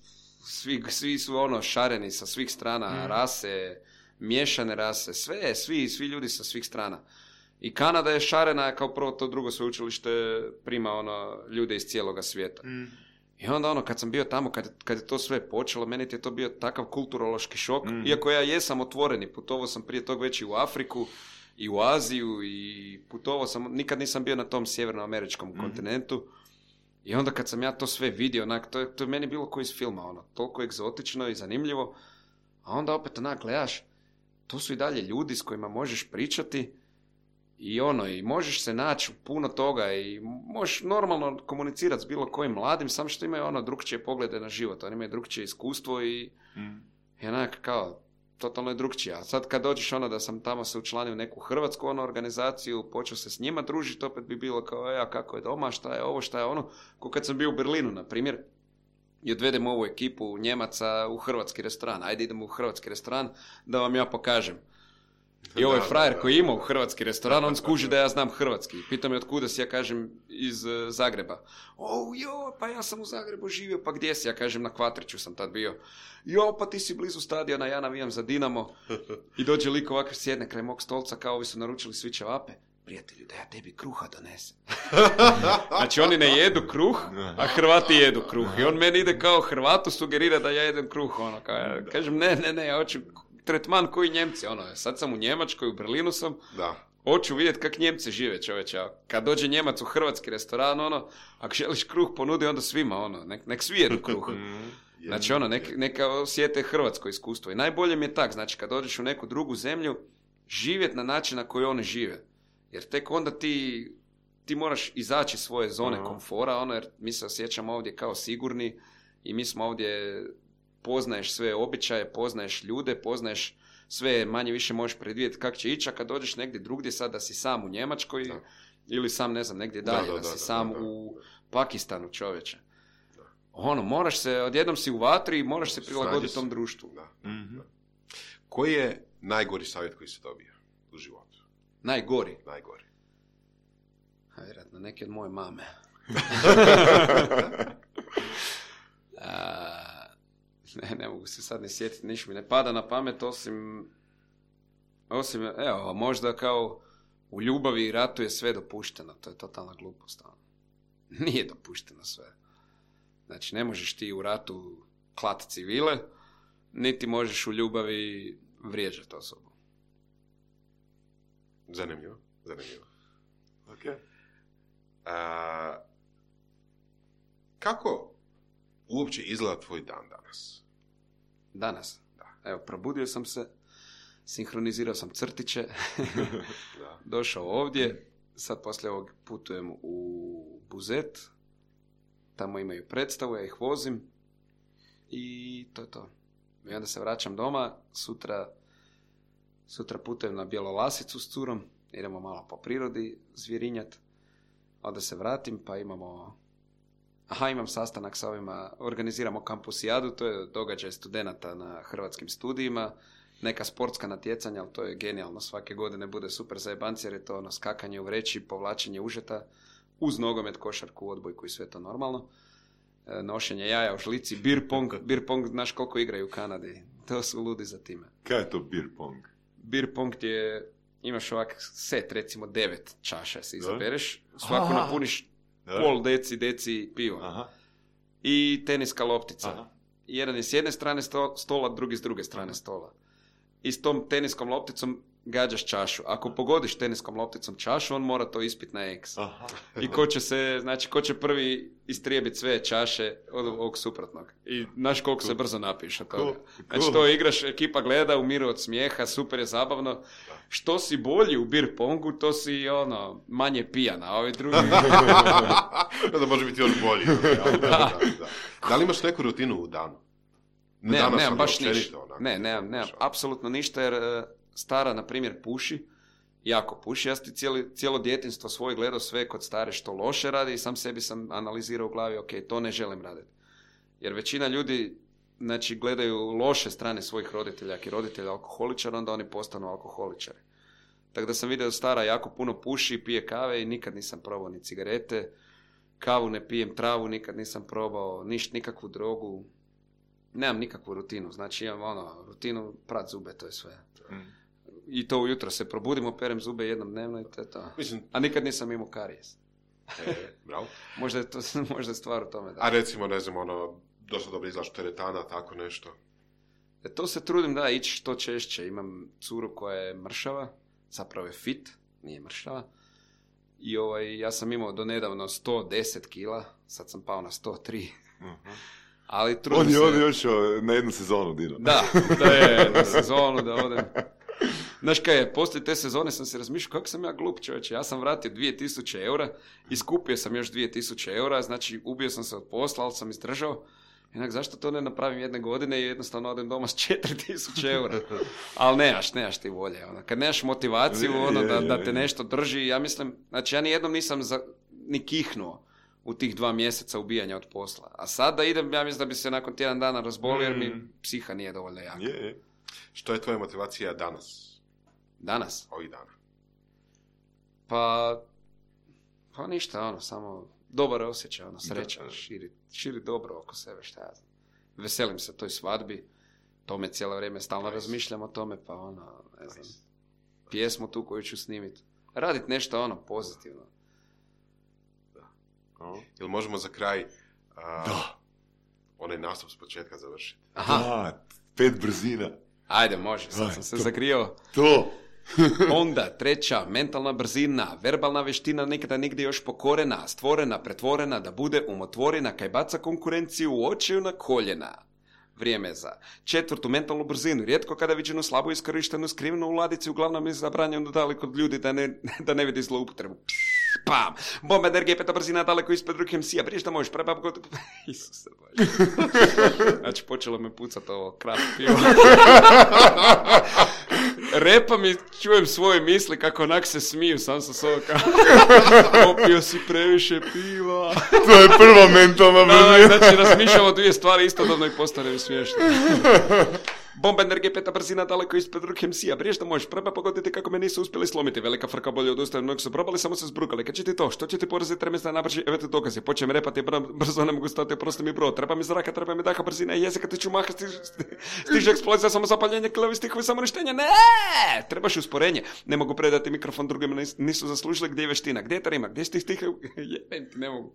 svi, svi su ono šareni sa svih strana, Mm. rase, miješane rase, sve, svi, svi ljudi sa svih strana. I Kanada je šarena, kao prvo to drugo sveučilište prima ono ljude iz cijeloga svijeta. Mm. I onda ono, kad sam bio tamo, kad, kad je to sve počelo, meni je to bio takav kulturološki šok, Mm. iako ja jesam otvoren i putovao sam prije tog već i u Afriku, i u Aziju, i putovao sam, nikad nisam bio na tom sjevernoameričkom Mm. kontinentu. I onda kad sam ja to sve vidio, onak, to, je, to je meni bilo ko iz filma, ono, toliko egzotično i zanimljivo. A onda opet onak gledaš, to su i dalje ljudi s kojima možeš pričati i ono, i možeš se naći u puno toga i možeš normalno komunicirati s bilo kojim mladim, samo što imaju ono drugčije poglede na život, oni imaju drugčije iskustvo i, Mm. i onak kao, totalno je drugčije. A sad kad dođeš ono da sam tamo se učlanio u neku hrvatsku ono organizaciju, počeo se s njima družiti, opet bi bilo kao, ja, kako je doma, šta je ovo, šta je ono, ko kad sam bio u Berlinu, na primjer, i odvedemo ovu ekipu Njemaca u hrvatski restoran, ajde idemo u hrvatski restoran da vam ja pokažem. I ovaj Da, frajer da, da. koji ima u hrvatski restoran, on skuži da ja znam hrvatski. Pita me otkuda si, ja kažem iz uh, Zagreba. O, jo, pa ja sam u Zagrebu živio, pa gdje si? Ja kažem na Kvatriću sam tad bio. Jo, pa ti si blizu stadiona, ja navijam za Dinamo. I dođe lik ovako sjedne kraj mog stolca, kao ovi su naručili svi ćevape. Prijatelju, da ja tebi kruha donesem. Znači oni ne jedu kruh, a Hrvati jedu kruh. I on meni ide kao Hrvatu sugerira da ja jedem kruh. Ono, kao, ja kažem, ne, ne, ne, ja hoću tretman koji Njemci. Ono, sad sam u Njemačkoj, u Berlinu sam, Da. hoću vidjeti kak Njemci žive, čovječe. A kad dođe Njemac u hrvatski restoran, ono, ako želiš kruh ponudi onda svima, ono, nek, nek svi jedu kruh. Znači, ono, nek, neka osjete hrvatsko iskustvo. I najbolje mi je tak, znači, kad dođeš u neku drugu zemlju, živjeti na način na koji oni žive. Jer tek onda ti, ti moraš izaći iz svoje zone Aha. komfora, ono, jer mi se osjećamo ovdje kao sigurni i mi smo ovdje, poznaješ sve običaje, poznaješ ljude, poznaješ sve, manje više možeš predvidjeti kako će ići, a kad dođeš negdje drugdje, sad da si sam u Njemačkoj Da. ili sam, ne znam, negdje Da, dalje, da, da, da, si da, sam da, da. u Pakistanu, čovječe. Ono, moraš se, odjednom si u vatri i moraš se prilagoditi Snađi se. tom društvu. Da. Mhm. Koji je najgori savjet koji se dobio u životu? Najgori. Najgori. A, vjerojatno, neki od moje mame. A, ne, ne mogu se sad ne sjetiti, niš mi ne pada na pamet, osim, osim, evo, možda kao u ljubavi i ratu je sve dopušteno, to je totalna glupost. ono. Nije dopušteno sve. Znači, ne možeš ti u ratu klati civile, niti možeš u ljubavi vrijeđati osobu. Zanimljivo, zanimljivo. Ok. A, kako uopće izgleda tvoj dan danas? Danas. Da. Evo, probudio sam se, sinhronizirao sam crtiće, Da. došao ovdje, sad poslije ovog putujem u Buzet, tamo imaju predstavu, ja ih vozim i to je to. I onda se vraćam doma, sutra, sutra putujem na Bjelolasicu s curom, idemo malo po prirodi zvjerinjat, onda se vratim pa imamo... Aha, imam sastanak sa ovima, organiziramo kampusijadu, to je događaj studenata na hrvatskim studijima, neka sportska natjecanja, ali to je genijalno, svake godine bude super zajebanci, jer je to ono skakanje u vreći, povlačenje užeta, uz nogomet, košarku, odbojku i sve to normalno. E, nošenje jaja u žlici, beer pong, beer pong, znaš koliko igraju u Kanadi, to su ludi za time. Kaj je to beer pong? Beer pong ti je, imaš ovak set, recimo devet čaša si izabereš, svaku Aha. napuniš da. pol deci, deci piva. Aha. I teniska loptica. Aha. Jedan je s jedne strane stola, drugi s druge strane Aha. stola. I s tom teniskom lopticom gađaš čašu. Ako pogodiš teniskom lopticom čašu, on mora to ispit na eks. Aha. I ko će se, znači, ko će prvi istrijebiti sve čaše od ovog suprotnog. I znaš koliko cool. se brzo napiješ od toga. Cool. Znači, to igraš, ekipa gleda, umiru od smijeha, super je zabavno. Što si bolji u beer pongu, to si, ono, manje pijan, a ovi drugi... Da može biti još bolji. Da, da, da. Da li imaš neku rutinu u danu? Ne, nemam, nemam baš ništa. Ne, nemam, nemam, apsolutno ništa, jer uh, stara, na primjer, puši, jako puši. Ja sam cijelo, cijelo djetinjstvo svoje gledao sve kod stare što loše radi i sam sebi sam analizirao u glavi, ok, to ne želim raditi. Jer većina ljudi, znači, gledaju loše strane svojih roditelja, ako je roditelj alkoholičar, onda oni postanu alkoholičari. Tako da sam vidio da stara jako puno puši, pije kave i nikad nisam probao ni cigarete, kavu ne pijem, travu nikad nisam probao, ništa, nikakvu drogu. Nemam nikakvu rutinu, znači imam ono, rutinu prat zube, to je sve. Mm. I to ujutro se probudim, operem zube jednom dnevno i to je to. Mislim, a nikad nisam imao karijes. E, bravo. možda, je to, možda je stvar u tome. Da. A recimo, ne znam, ono, dosta dobro izlaš teretana, tako nešto? E, to se trudim da ići što češće. Imam curu koja je mršava, zapravo je fit, nije mršava. I ovaj, ja sam imao do nedavno sto deset kila, sad sam pao na sto tri. Uh-huh. Ali on je se... on još na jednu sezonu Dino. Da, da je na sezonu da odem. Znaš kaj je, poslije te sezone sam se razmišljao kako sam ja glup čovječe. Ja sam vratio dvije tisuće eura i skupio sam još dvije tisuće eura, znači ubio sam se od posla, ali sam izdržao. Inak zašto to ne napravim jedne godine i jednostavno odem doma s četiri tisuće eura. Ali nemaš, nemaš ti volje. Ono. Kad nemaš motivaciju ono, da, da te nešto drži, ja mislim, znači ja nijednom nisam za, ni kihnuo u tih dva mjeseca ubijanja od posla. A sad da idem, ja mislim da bi se nakon tjedan dana razbolio jer mi psiha nije dovoljno jaka. Je, je. Što je tvoja motivacija danas? Danas? Ovih dana. Pa, pa ništa, ono, samo dobar osjećaj, ono, sreća, širi, širi dobro oko sebe, šta ja znam. Veselim se toj svadbi, tome cijelo vrijeme stalno nice. Razmišljam o tome, pa ono, ne znam, nice. Pjesmu tu koju ću snimiti. Radit nešto, ono, pozitivno. Jel možemo za kraj uh, onaj nastup s početka završiti? Aha. Da, pet brzina. Ajde, može, sad sam se to, zagrio. To. Onda, treća, mentalna brzina, verbalna veština nikada nigdje još pokorena, stvorena, pretvorena, da bude umotvorena, kaj baca konkurenciju u očiju na koljena. Vrijeme za četvrtu mentalnu brzinu, rijetko kada viđenu slabo iskorištenu skrivenu u ladici, uglavnom je zabranjeno daleko od ljudi da ne, da ne vidi zloupotrebu. Pam! Bomba energije, peta brzina, daleko ispred ruke em ce a, briješ da možeš, prebab god... Isuse Bože. Znači, počelo me pucat ovo krap pivo. Repam i čujem svoje misli kako onak se smiju sam sa sobom kao... Popio si previše piva. To je prva mentalna brzina. Da, znači, razmišljamo dvije stvari istodobno i postane smiješno. Bomba energije, peta brzina, daleko ispred ruke em ce a, briješ da možeš, preba pogoditi kako me nisu uspjeli slomiti. Velika frka bolje od ustaje, mnogi su probali, samo se zbrukali. Kad će ti to? Što će ti poraziti remesna nabrži? Evo ti dokazi. Počnem repati, brzo ne mogu stati, oprosti mi bro. Treba mi zraka, treba mi daha, brzina i jezika, ti ću maha, stiže, stiže eksplozija, samo zapaljenje, kilovi stihovi, samo ništenje. Ne! Trebaš usporenje. Ne mogu predati mikrofon drugima, nisu zaslužili. Gdje je veština? Gdje je ta rima? Gdje si ti stihe? Jebem ti, ne mogu.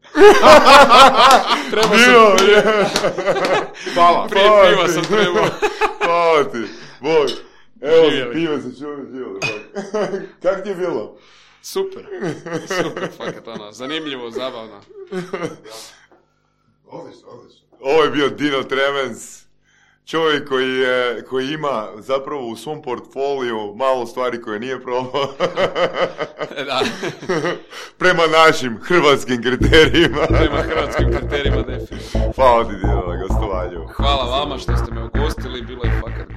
Treba sam... Hvala. Prije piva sam trebao. Hvala ti, Bog. Evo, piva se čuvi, živjeli. Kako ti je bilo? Super, super, fakat ono, zanimljivo, zabavno. Odlično, odlično. Ovo je bio Dino Tremens, čovjek koji, je, koji ima zapravo u svom portfoliju malo stvari koje nije probao. Da. Prema našim hrvatskim kriterijima. Prema hrvatskim kriterijima, definitivno. Hvala ti, Dino, na gostovanju. Hvala vama što ste me ugostili, bilo je fakat